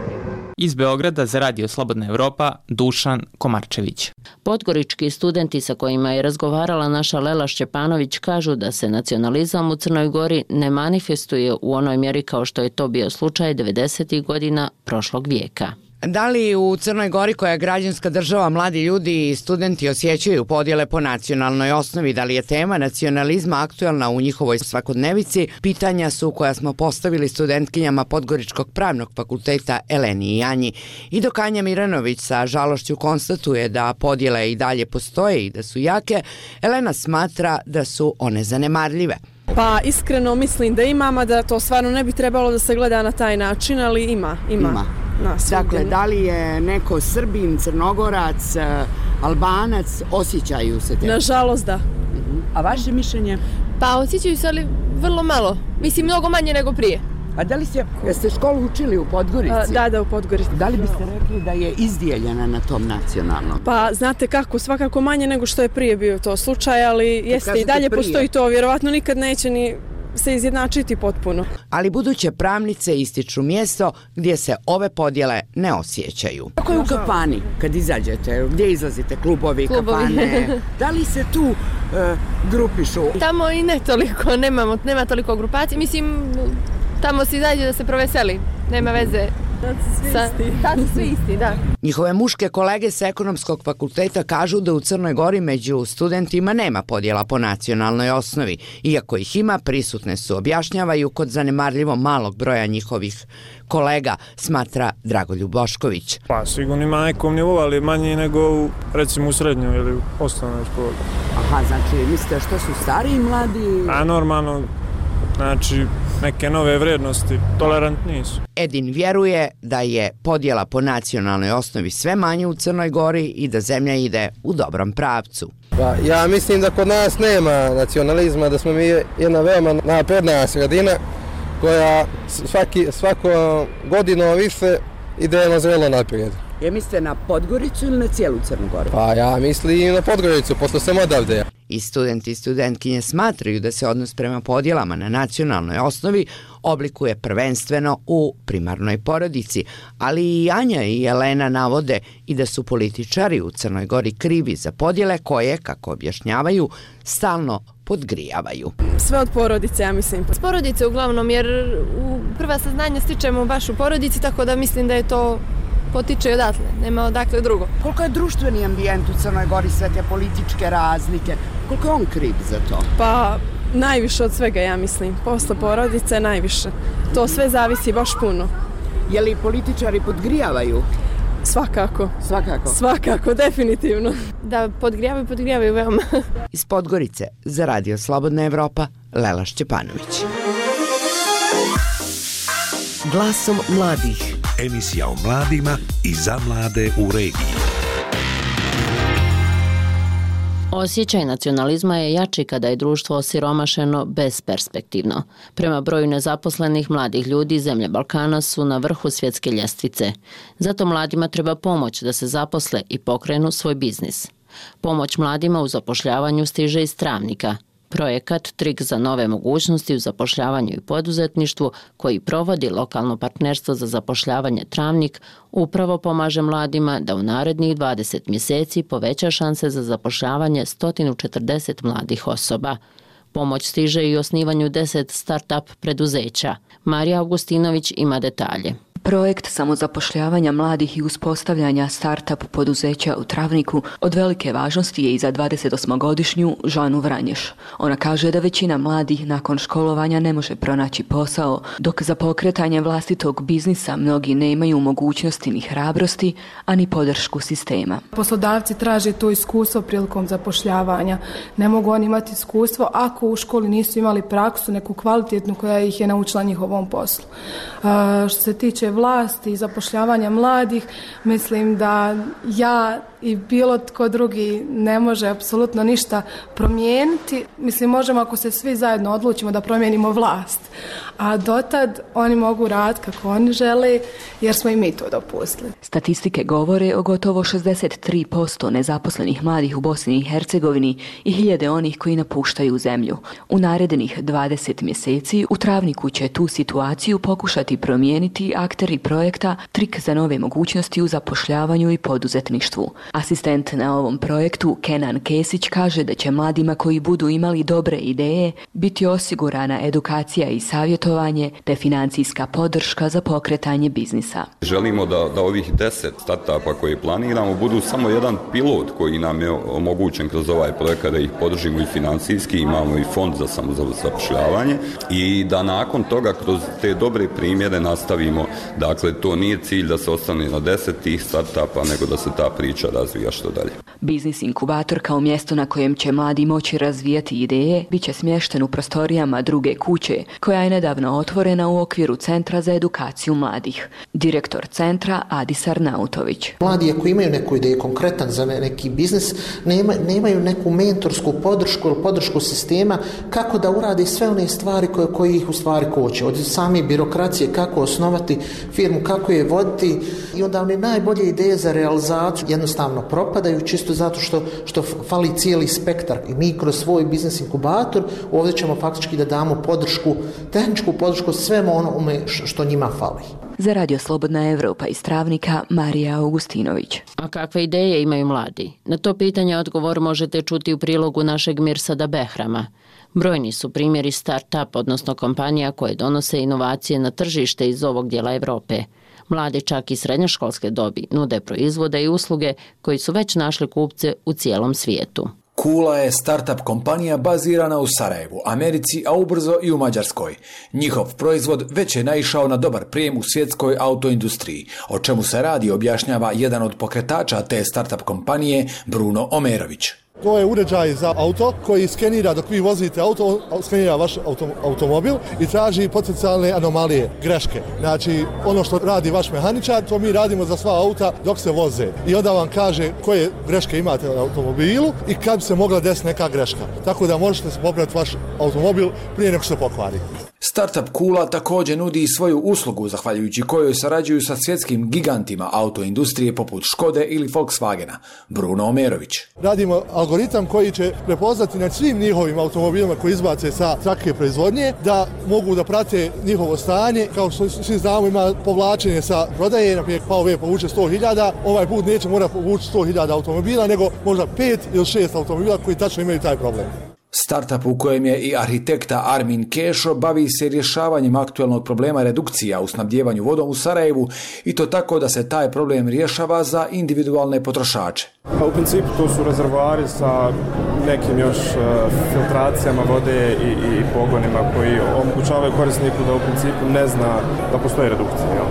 Iz Beograda za Radio Slobodna Evropa, Dušan Komarčević. Podgorički studenti sa kojima je razgovarala naša Lela Šćepanović kažu da se nacionalizam u Crnoj Gori ne manifestuje u onoj mjeri kao što je to bio slučaj 90. godina prošlog vijeka. Da li u Crnoj Gori, koja je građanska država, mladi ljudi i studenti osjećaju podjele po nacionalnoj osnovi? Da li je tema nacionalizma aktuelna u njihovoj svakodnevici? Pitanja su koja smo postavili studentkinjama Podgoričkog pravnog fakulteta Eleni i Janji. I dok Anja Miranović sa žalošću konstatuje da podjele i dalje postoje i da su jake, Elena smatra da su one zanemarljive. Pa iskreno mislim da imam, da to stvarno ne bi trebalo da se gleda na taj način, ali ima. Dakle, da li je neko Srbin, Crnogorac, Albanac, osjećaju se te? Nažalost da. A vaše mišljenje? Pa osjećaju se, ali vrlo malo. Mislim, mnogo manje nego prije. A da li ste školu učili u Podgorici? Da, u Podgorici. Da li biste rekli da je izdijeljena na tom nacionalnom? Pa znate kako, svakako manje nego što je prije bio to slučaj, ali jeste i dalje postoji to, vjerovatno nikad neće ni se izjednačiti potpuno. Ali buduće pravnice ističu mjesto gdje se ove podjele ne osjećaju. Kako je u kafani kad izađete? Gdje izlazite? Klubovi, kafane? Da li se tu grupišu? Tamo i ne toliko, nema toliko grupacije. Mislim, tamo se izađe da se proveseli, nema veze. Tad su svi isti, da. Njihove muške kolege sa ekonomskog fakulteta kažu da u Crnoj Gori među studentima nema podjela po nacionalnoj osnovi. Iako ih ima, prisutne su, objašnjavaju, kod zanemarljivo malog broja njihovih kolega, smatra Dragoljub Bošković. Pa sigurno ima na nekom nivou, ali manji nego recimo u srednjoj ili osnovnoj školi. Aha, znači mislite što su stariji mladi? A normalno, znači neke nove vrednosti, tolerantniji su. Edin vjeruje da je podjela po nacionalnoj osnovi sve manje u Crnoj Gori i da zemlja ide u dobrom pravcu. Pa, ja mislim da kod nas nema nacionalizma, da smo mi jedna veoma napredna sredina koja svako godinu više ide na zrelo naprijed. Mislite na Podgoricu ili na cijelu Crnu Goru? Pa ja mislim na Podgoricu, pošto sam odavde. I studenti i studentkinje smatraju da se odnos prema podjelama na nacionalnoj osnovi oblikuje prvenstveno u primarnoj porodici, ali i Anja i Elena navode i da su političari u Crnoj Gori krivi za podjele koje, kako objašnjavaju, stalno podgrijavaju. Sve od porodice, ja mislim. S porodice uglavnom, jer prva saznanja stičemo baš u porodici, tako da mislim da je to potiče odatle, nema odakle drugo. Koliko je društveni ambijent u Crnoj Gori, sve te političke razlike, koliko je on kriv za to? Pa najviše od svega, ja mislim. Posle porodice najviše. To sve zavisi baš puno. Je li političari podgrijavaju? Svakako. Svakako? Svakako, definitivno. Da, podgrijavaju veoma. Iz Podgorice za Radio Slobodna Evropa, Lela Šćepanović. Glasom mladih. Emisija o mladima i za mlade u regiji. Osjećaj nacionalizma je jači kada je društvo osiromašeno besperspektivno. Prema broju nezaposlenih mladih ljudi, zemlje Balkana su na vrhu svjetske ljestvice. Zato mladima treba pomoć da se zaposle i pokrenu svoj biznis. Pomoć mladima u zapošljavanju stiže iz Travnika. Projekat Trik za nove mogućnosti u zapošljavanju i poduzetništvu, koji provodi lokalno partnerstvo za zapošljavanje Travnik, upravo pomaže mladima da u narednih 20 mjeseci poveća šanse za zapošljavanje 140 mladih osoba. Pomoć stiže i osnivanju 10 start-up preduzeća. Marija Augustinović ima detalje. Projekt samozapošljavanja mladih i uspostavljanja start-up poduzeća u Travniku od velike važnosti je i za 28-godišnju Žanu Vranješ. Ona kaže da većina mladih nakon školovanja ne može pronaći posao, dok za pokretanje vlastitog biznisa mnogi nemaju mogućnosti ni hrabrosti, a ni podršku sistema. Poslodavci traže to iskustvo prilikom zapošljavanja. Ne mogu oni imati iskustvo ako u školi nisu imali praksu, neku kvalitetnu koja ih je naučila njihovom poslu. Što se tiče vlasti i zapošljavanja mladih, mislim da ja i bilo tko drugi ne može apsolutno ništa promijeniti. Mislim, možemo ako se svi zajedno odlučimo da promijenimo vlast. A dotad oni mogu raditi kako oni žele, jer smo i mi to dopustili. Statistike govore o gotovo 63% nezaposlenih mladih u Bosni i Hercegovini i hiljade onih koji napuštaju zemlju. U narednih 20 mjeseci u Travniku će tu situaciju pokušati promijeniti akteri projekta Trik za nove mogućnosti u zapošljavanju i poduzetništvu. Asistent na ovom projektu Kenan Kesić kaže da će mladima koji budu imali dobre ideje biti osigurana edukacija i savjetovanje te financijska podrška za pokretanje biznisa. Želimo da ovih 10 startupa koje planiramo budu samo jedan pilot koji nam je omogućen kroz ovaj projekat, da ih podržimo i financijski, imamo i fond za samozapošljavanje i da nakon toga kroz te dobre primjere nastavimo. Dakle, to nije cilj da se ostane na 10 tih startupa, nego da se ta priča razvija što dalje. Biznis inkubator kao mjesto na kojem će mladi moći razvijati ideje bit će smješten u prostorijama Druge kuće, koja je nedavno otvorena u okviru Centra za edukaciju mladih. Direktor centra Adis Arnautović. Mladi ako imaju neku ideju konkretan za neki biznis, nemaju neku mentorsku podršku ili podršku sistema kako da urade sve one stvari koje ih u stvari koče. Od same birokracije, kako osnovati firmu, kako je voditi, i onda one najbolje ideje za realizaciju jednostavno propadaju čisto zato što fali cijeli spektar. I mi kroz svoj biznis inkubator ovdje ćemo faktički da damo podršku, tehničku podršku svemu onome što njima fali. Za Radio Slobodna Evropa iz Travnika, Marija Augustinović. A kakve ideje imaju mladi? Na to pitanje odgovor možete čuti u prilogu našeg Mirsada Behrama. Brojni su primjeri start-up, odnosno kompanija koje donose inovacije na tržište iz ovog dijela Evrope. Mladi čak i srednjoškolske dobi nude proizvode i usluge koji su već našli kupce u cijelom svijetu. Kula je startup kompanija bazirana u Sarajevu, Americi, a ubrzo i u Mađarskoj. Njihov proizvod već je naišao na dobar prijem u svjetskoj autoindustriji. O čemu se radi objašnjava jedan od pokretača te startup kompanije, Bruno Omerović. To je uređaj za auto koji skenira dok vi vozite auto, skenira vaš automobil i traži potencijalne anomalije, greške. Znači, ono što radi vaš mehaničar, to mi radimo za sva auta dok se voze. I onda vam kaže koje greške imate na automobilu i kad bi se mogla desiti neka greška. Tako da možete popraviti vaš automobil prije nego se pokvari. Startup Kula također nudi i svoju uslugu, zahvaljujući kojoj sarađuju sa svjetskim gigantima autoindustrije poput Škode ili Volkswagena. Bruno Omerović. Radimo algoritam koji će prepoznati na svim njihovim automobilima koji izbace sa trake proizvodnje, da mogu da prate njihovo stanje. Kao što svi znamo, ima povlačenje sa prodaje, na primjer PAOV povuče 100.000, ovaj put neće morati povući 100.000 automobila, nego možda 5 ili 6 automobila koji tačno imaju taj problem. Startup u kojem je i arhitekta Armin Kešo bavi se rješavanjem aktualnog problema redukcija u snabdjevanju vodom u Sarajevu, i to tako da se taj problem rješava za individualne potrošače. U principu to su rezervoari sa nekim još filtracijama vode i pogonima koji omogućavaju korisniku da u principu ne zna da postoji redukcija.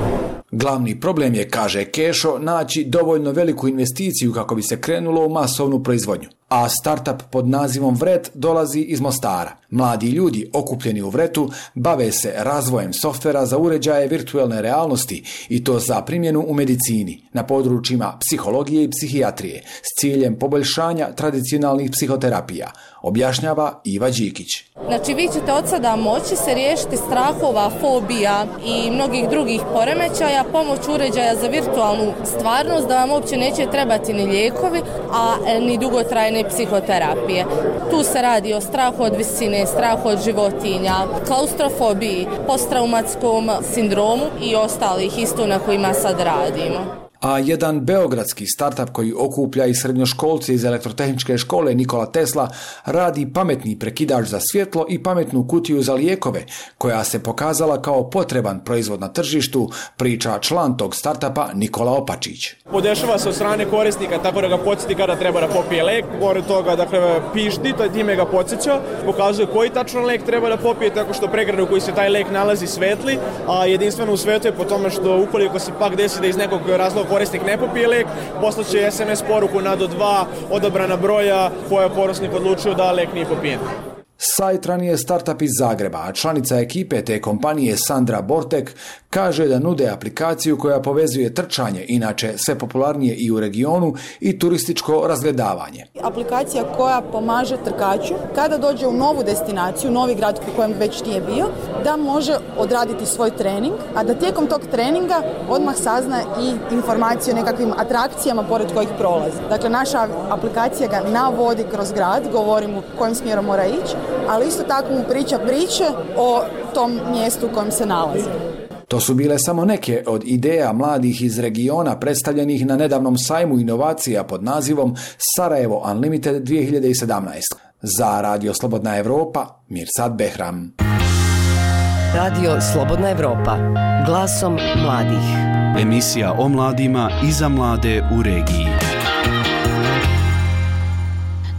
Glavni problem je, kaže Kešo, naći dovoljno veliku investiciju kako bi se krenulo u masovnu proizvodnju. A startup pod nazivom Vret dolazi iz Mostara. Mladi ljudi okupljeni u Vretu bave se razvojem softvera za uređaje virtualne realnosti, i to za primjenu u medicini, na područjima psihologije i psihijatrije, s ciljem poboljšanja tradicionalnih psihoterapija, objašnjava Iva Đikić. Znači, vi ćete od sada moći se riješiti strahova, fobija i mnogih drugih poremećaja pomoću uređaja za virtualnu stvarnost, da vam uopće neće trebati ni lijekovi, a ni dugotrajne psihoterapije. Tu se radi o strahu od visine, strahu od životinja, klaustrofobiji, posttraumatskom sindromu i ostalih isto na kojima sad radimo. A jedan beogradski startup koji okuplja i srednjoškolce iz elektrotehničke škole Nikola Tesla radi pametni prekidač za svjetlo i pametnu kutiju za lijekove, koja se pokazala kao potreban proizvod na tržištu, priča član tog startupa Nikola Opačić. Podešava se od strane korisnika tako da ga podsjeti kada treba da popije lek. Pored toga, dakle, pišti, time ga podsjeća, pokazuje koji tačno lek treba da popije, tako što pregradu koji se taj lek nalazi svetli, a jedinstveno u svetu je po tome što ukoliko se pak desi da iz nekog razloga korisnik ne popije lek, poslaće SMS poruku na do 2 odabrana broja koja je korisnik odlučio da lek nije popijen. Sajtran je startup iz Zagreba, a članica ekipe te kompanije Sandra Bortek kaže da nude aplikaciju koja povezuje trčanje, inače sve popularnije i u regionu, i turističko razgledavanje. Aplikacija koja pomaže trkaču kada dođe u novu destinaciju, novi grad u kojem već nije bio, da može odraditi svoj trening, a da tijekom tog treninga odmah sazna i informacije o nekakvim atrakcijama pored kojih prolazi. Dakle, naša aplikacija ga navodi kroz grad, govori mu kojim smjerom mora ići, ali isto tako mu priča priče o tom mjestu u kojem se nalazi. To su bile samo neke od ideja mladih iz regiona predstavljenih na nedavnom sajmu inovacija pod nazivom Sarajevo Unlimited 2017. Za Radio Slobodna Evropa, Mirsad Behram. Radio Slobodna Evropa, glasom mladih. Emisija o mladima i za mlade u regiji.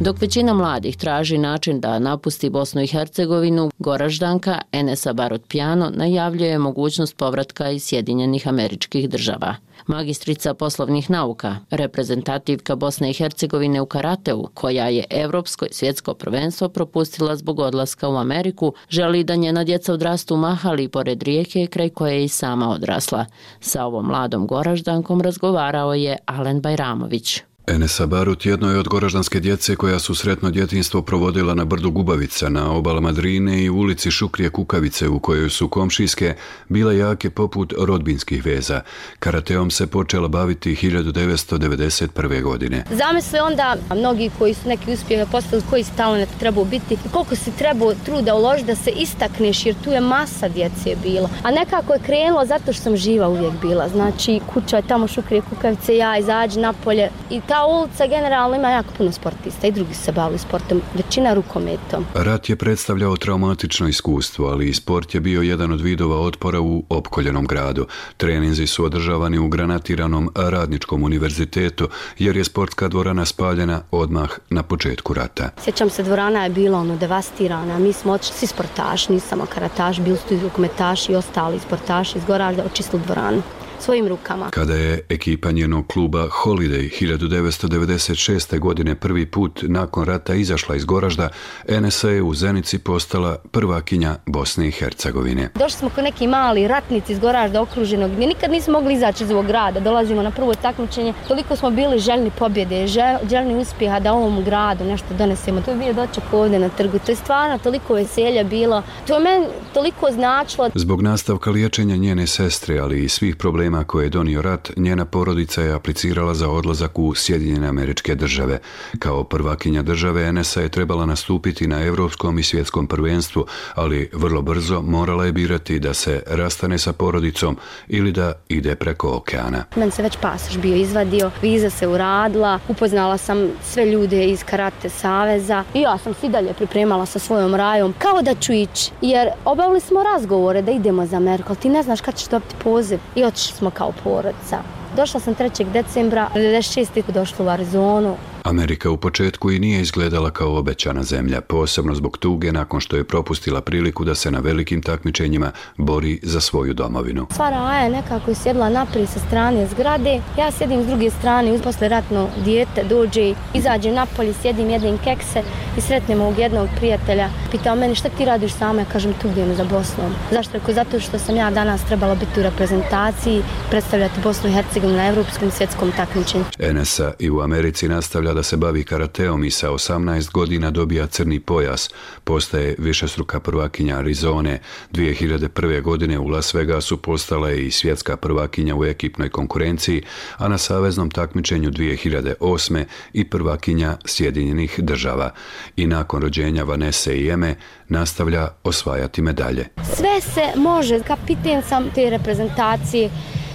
Dok većina mladih traži način da napusti Bosnu i Hercegovinu, Goraždanka Enesa Barot-Pjano najavljuje mogućnost povratka iz Sjedinjenih Američkih Država. Magistrica poslovnih nauka, reprezentativka Bosne i Hercegovine u karateu, koja je evropsko i svjetsko prvenstvo propustila zbog odlaska u Ameriku, želi da njena djeca odrastu u Mahali pored rijeke kraj koje je i sama odrasla. Sa ovom mladom Goraždankom razgovarao je Alen Bajramović. Enesa Barut jedno je od goraždanske djece koja su sretno djetinjstvo provodila na brdu Gubavica, na obalama Drine i u ulici Šukrije Kukavice, u kojoj su komšijske bile jake poput rodbinskih veza. Karateom se počela baviti 1991. godine. Zamisli onda mnogi koji su neki uspjehe postavili, koji si talent trebao biti i koliko si trebao truda uložiti da se istakneš, jer tu je masa djece bilo. A nekako je krenulo zato što sam živa uvijek bila. Znači, kuća je tamo Šukrije Kukavice, ja izađi napolje i ta ulica generalno ima jako puno sportista i drugi se bavili sportom, većina rukometom. Rat je predstavljao traumatično iskustvo, ali i sport je bio jedan od vidova otpora u opkoljenom gradu. Treninzi su održavani u granatiranom Radničkom univerzitetu, jer je sportska dvorana spaljena odmah na početku rata. Sjećam se, dvorana je bila devastirana, mi smo otišli svi sportaši, nisam samo karataš, bili su i rukometaši i ostali sportaši iz Goražda, očistili dvoranu svojim rukama. Kada je ekipa njenog kluba Holiday 1996. godine prvi put nakon rata izašla iz Goražda, Enesa je u Zenici postala prvakinja Bosne i Hercegovine. Došli smo kao neki mali ratnici iz Goražda okruženog, gdje nikad nismo mogli izaći iz ovog grada. Dolazimo na prvo takmičenje, toliko smo bili željni pobjede, željni uspjeha da ovom gradu nešto donesemo. To je bio doček ovdje na trgu. To je stvarno toliko veselja bilo. To je meni toliko značilo. Zbog nastavka liječenja njene sestre, ali i svih problema koje je donio rat, njena porodica je aplicirala za odlazak u Sjedinjene Američke Države. Kao prvakinja države, Enesa je trebala nastupiti na evropskom i svjetskom prvenstvu, ali vrlo brzo morala je birati da se rastane sa porodicom ili da ide preko okeana. Meni se već pasoš bio izvadio, viza se uradila, upoznala sam sve ljude iz Karate saveza i ja sam se i dalje pripremala sa svojom rajom kao da ću ići, jer obavili smo razgovore da idemo za Ameriku, ali ti ne znaš kad ćeš dobiti poziv i otišli smo kao porodica. Došla sam 3. decembra, 96. došla u Arizonu. Amerika u početku i nije izgledala kao obećana zemlja, posebno zbog tuge nakon što je propustila priliku da se na velikim takmičenjima bori za svoju domovinu. Sva raja je nekako sjedla naprijed sa strane zgrade, ja sjedim s druge strane, posle ratno dijete dođe, izađem napolje, sjedim, jedem kekse i sretnem ovog jednog prijatelja. Pitao meni šta ti radiš sama, ja kažem tugujem za Bosnom. Zašto? Rekao, zato što sam ja danas trebala biti u reprezentaciji, predstavljati Bosnu i Hercegovinu na evropskom svjetskom takmičenju. Enesa i u Americi nastavlja da se bavi karateom i sa 18 godina dobija crni pojas. Postaje višestruka prvakinja Arizone. 2001. godine u Las Vegasu postala je i svjetska prvakinja u ekipnoj konkurenciji, a na saveznom takmičenju 2008. i prvakinja Sjedinjenih Država. I nakon rođenja Vanese i Eme nastavlja osvajati medalje. Sve se može, kapiten sam te reprezentacije.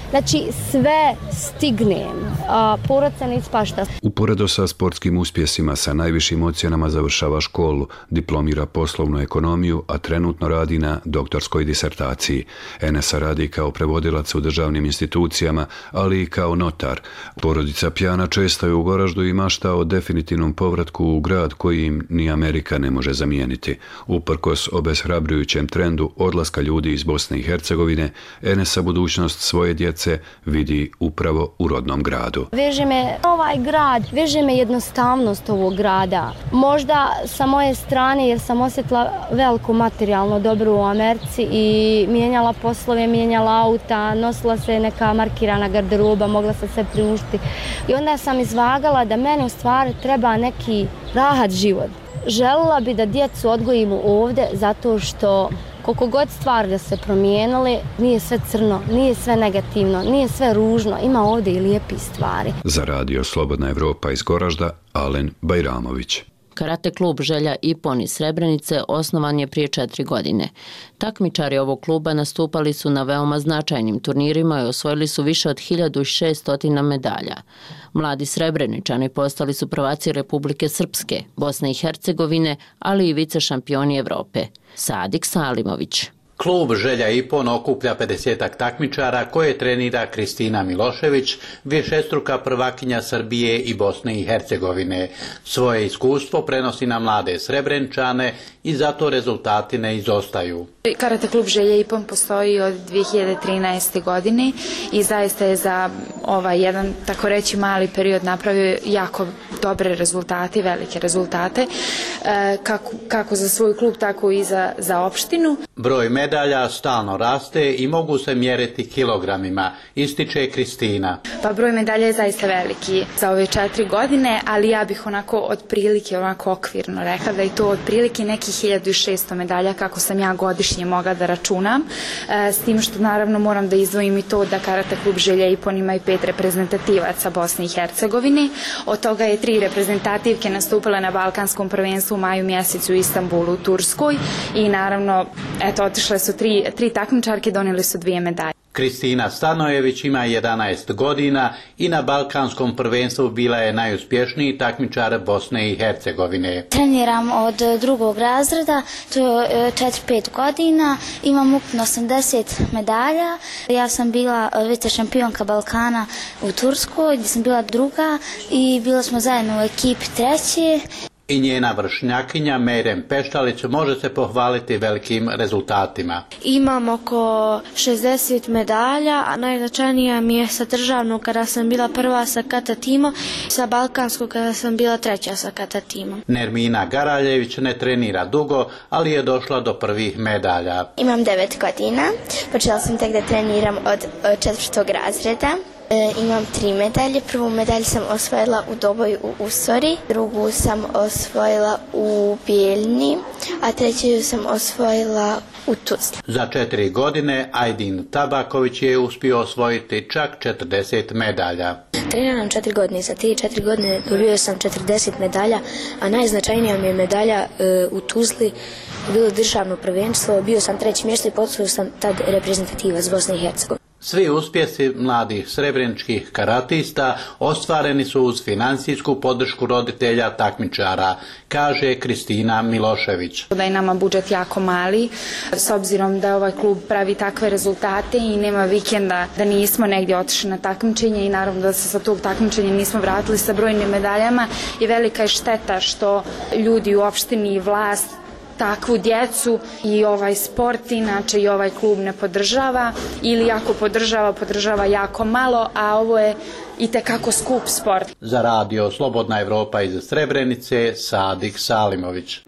Znači, sve stignem, porodica ne ispašta. Uporedo sa sportskim uspjesima, sa najvišim ocjenama završava školu, diplomira poslovnu ekonomiju, a trenutno radi na doktorskoj disertaciji. Enesa radi kao prevodilac u državnim institucijama, ali i kao notar. Porodica Pjana često je u Goraždu i mašta o definitivnom povratku u grad koji im ni Amerika ne može zamijeniti. Uprkos obeshrabrujućem trendu odlaska ljudi iz Bosne i Hercegovine, Enesa budućnost svoje djece vidi upravo u rodnom gradu. Veže me ovaj grad, veže me jednostavnost ovog grada. Možda sa moje strane, jer sam osjetila veliko materijalno dobro u Americi i mijenjala poslove, mijenjala auta, nosila se neka markirana garderoba, mogla se sve priuštiti. I onda sam izvagala da meni u stvari treba neki rahat život. Željela bi da djecu odgojimo ovdje zato što koliko god stvari da se promijenili, nije sve crno, nije sve negativno, nije sve ružno, ima ovdje i lijepi stvari. Za Radio Slobodna Evropa iz Goražda, Alen Bajramović. Karate klub Želja Ipon iz Srebrenice osnovan je prije 4 godine. Takmičari ovog kluba nastupali su na veoma značajnim turnirima i osvojili su više od 1600 medalja. Mladi Srebreničani postali su prvaci Republike Srpske, Bosne i Hercegovine, ali i vice šampioni Evrope. Sadik Salimović. Klub Želja Ipon okuplja 50-ak takmičara koje trenira Kristina Milošević, višestruka prvakinja Srbije i Bosne i Hercegovine. Svoje iskustvo prenosi na mlade Srebreničane i zato rezultati ne izostaju. Karate klub Želja Ipon postoji od 2013. godine i zaista je za jedan, tako reći, mali period napravio jako dobre rezultate, velike rezultate, kako za svoj klub, tako i za opštinu. Broj medalja stalno raste i mogu se mjeriti kilogramima, ističe Kristina. Pa broj medalja je zaista veliki za ove 4 godine, ali ja bih otprilike okvirno rekla da je to otprilike nekih 1600 medalja kako sam ja godišnje mogla da računam, s tim što naravno moram da izdvojim i to da Karate klub Želja Ipon ima i 5 reprezentativaca Bosne i Hercegovine, od toga je 3 reprezentativke nastupile na Balkanskom prvenstvu u maju mjesecu u Istanbulu u Turskoj i naravno otišle su 3 takmičarke, donijeli su 2 medalje. Kristina Stanojević ima 11 godina i na Balkanskom prvenstvu bila je najuspješniji takmičar Bosne i Hercegovine. Treniram od 2. razreda, to je 4-5 godina, imam ukupno 80 medalja. Ja sam bila vice šampionka Balkana u Turskoj, gdje sam bila 2. i bila smo zajedno u ekipi 3. I njena vršnjakinja Mejrem Peštalić može se pohvaliti velikim rezultatima. Imam oko 60 medalja, a najznačajnija mi je sa državnog kada sam bila 1. sa kata timom, sa balkanskog kada sam bila 3. sa kata timom. Nermina Garaljević ne trenira dugo, ali je došla do prvih medalja. Imam 9 godina, počela sam tek da treniram od 4. razreda. Imam 3 medalje. Prvu medalju sam osvojila u Doboju u Usori, drugu sam osvojila u Bijeljni, a treću sam osvojila u Tuzli. Za 4 godine Ajdin Tabaković je uspio osvojiti čak 40 medalja. Treniram 4 godine i za te 4 godine dobio sam 40 medalja, a najznačajnija mi je medalja u Tuzli, bilo državno prvenstvo, bio sam 3. mjesto i postao sam tad reprezentativac Bosne i Hercegovine. Svi uspjesi mladih srebreničkih karatista ostvareni su uz financijsku podršku roditelja takmičara, kaže Kristina Milošević. Da je nama budžet jako mali, s obzirom da ovaj klub pravi takve rezultate i nema vikenda da nismo negdje otišli na takmičenje i naravno da se sa tog takmičenja nismo vratili sa brojnim medaljama i velika je šteta što ljudi u opštini i vlast takvu djecu i ovaj sport, inače i ovaj klub ne podržava ili ako podržava jako malo, a ovo je itekako skup sport. Za radio Slobodna Evropa iz Srebrenice, Sadik Salimović.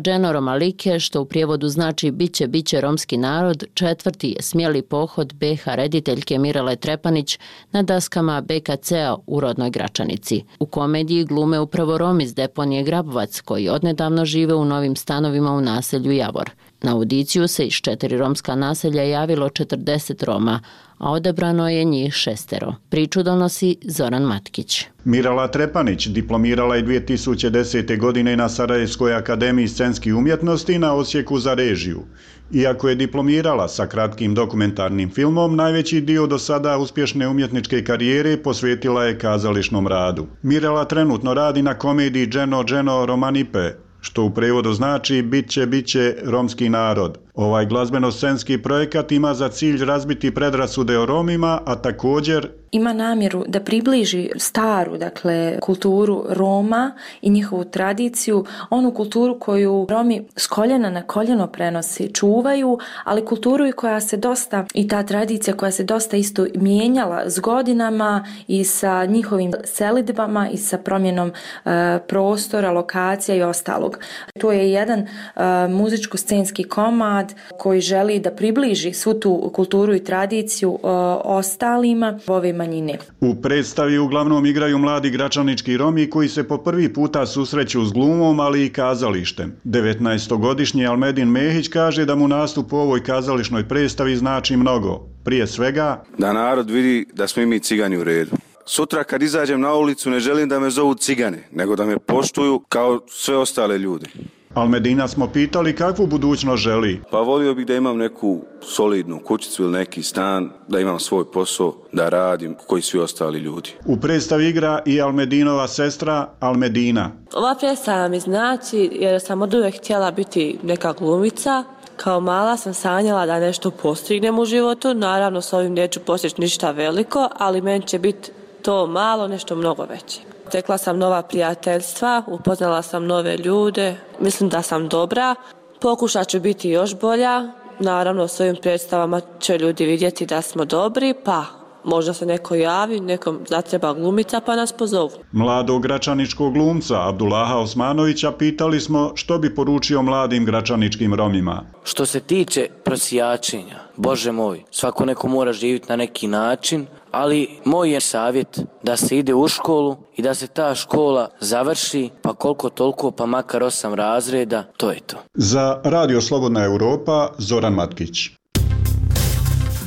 Dženo Romalike, što u prijevodu znači biće romski narod, 4. je smjeli pohod BH rediteljke Mirele Trepanić na daskama BKC-a u rodnoj Gračanici. U komediji glume upravo Romi iz deponije Grabovac, koji odnedavno žive u novim stanovima u naselju Javor. Na audiciju se iz 4 romska naselja javilo 40 Roma, a odabrano je njih 6. Priču donosi Zoran Matkić. Mirela Trepanić diplomirala je 2010. godine na Sarajevskoj akademiji scenskih umjetnosti na odsjeku za režiju. Iako je diplomirala sa kratkim dokumentarnim filmom, najveći dio do sada uspješne umjetničke karijere posvetila je kazališnom radu. Mirela trenutno radi na komediji Dženo Romanipe, što u prevodu znači biće romski narod. Ovaj glazbeno-scenski projekat ima za cilj razbiti predrasude o Romima, a također ima namjeru da približi staru, kulturu Roma i njihovu tradiciju, onu kulturu koju Romi s koljena na koljeno prenosi, čuvaju, ali kulturu i ta tradicija koja se dosta isto mijenjala s godinama i sa njihovim selidbama i sa promjenom prostora, lokacija i ostalog. To je jedan muzičko-scenski komad koji želi da približi svu tu kulturu i tradiciju ostalima ove manjine. U predstavi uglavnom igraju mladi gračanički Romi koji se po prvi puta susreću s glumom, ali i kazalištem. 19-godišnji Almedin Mehić kaže da mu nastup u ovoj kazališnoj predstavi znači mnogo. Prije svega, da narod vidi da smo i mi cigani u redu. sutra kad izađem na ulicu ne želim da me zovu cigane, nego da me poštuju kao sve ostale ljude. Almedina smo pitali kakvu budućnost želi. Pa volio bih da imam neku solidnu kućicu ili neki stan, da imam svoj posao, da radim koji svi ostali ljudi. U predstavi igra i Almedinova sestra Almedina. Ova predstava mi znači jer sam od uvijek htjela biti neka glumica. Kao mala sam sanjala da nešto postignem u životu, naravno s ovim neću postići ništa veliko, ali meni će biti to malo, nešto mnogo veće. Tekla sam nova prijateljstva, upoznala sam nove ljude, mislim da sam dobra, pokušat ću biti još bolja, naravno s ovim predstavama će ljudi vidjeti da smo dobri, pa možda se neko javi, nekom zatreba glumica pa nas pozovu. Mladog gračaničkog glumca Abdullaha Osmanovića pitali smo što bi poručio mladim gračaničkim Romima. Što se tiče prosjačenja, Bože moj, svako neko mora živjeti na neki način, ali moj je savjet da se ide u školu i da se ta škola završi, pa koliko toliko, pa makar 8 razreda, to je to. Za Radio Slobodna Europa, Zoran Matkić.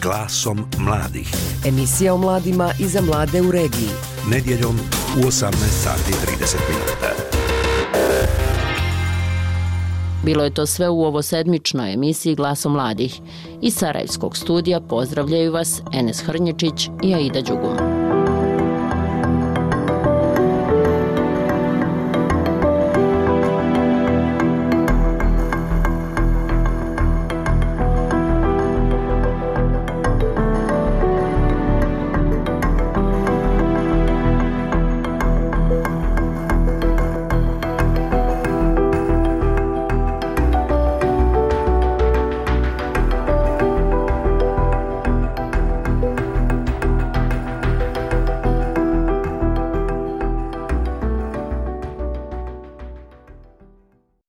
Glasom mladih. Emisija o mladima i za mlade u regiji. Nedjeljom u 18:30. Bilo je to sve u ovo sedmičnoj emisiji Glasom mladih. Iz Sarajevskog studija pozdravljaju vas Enes Hrnječić i Aida Đugum.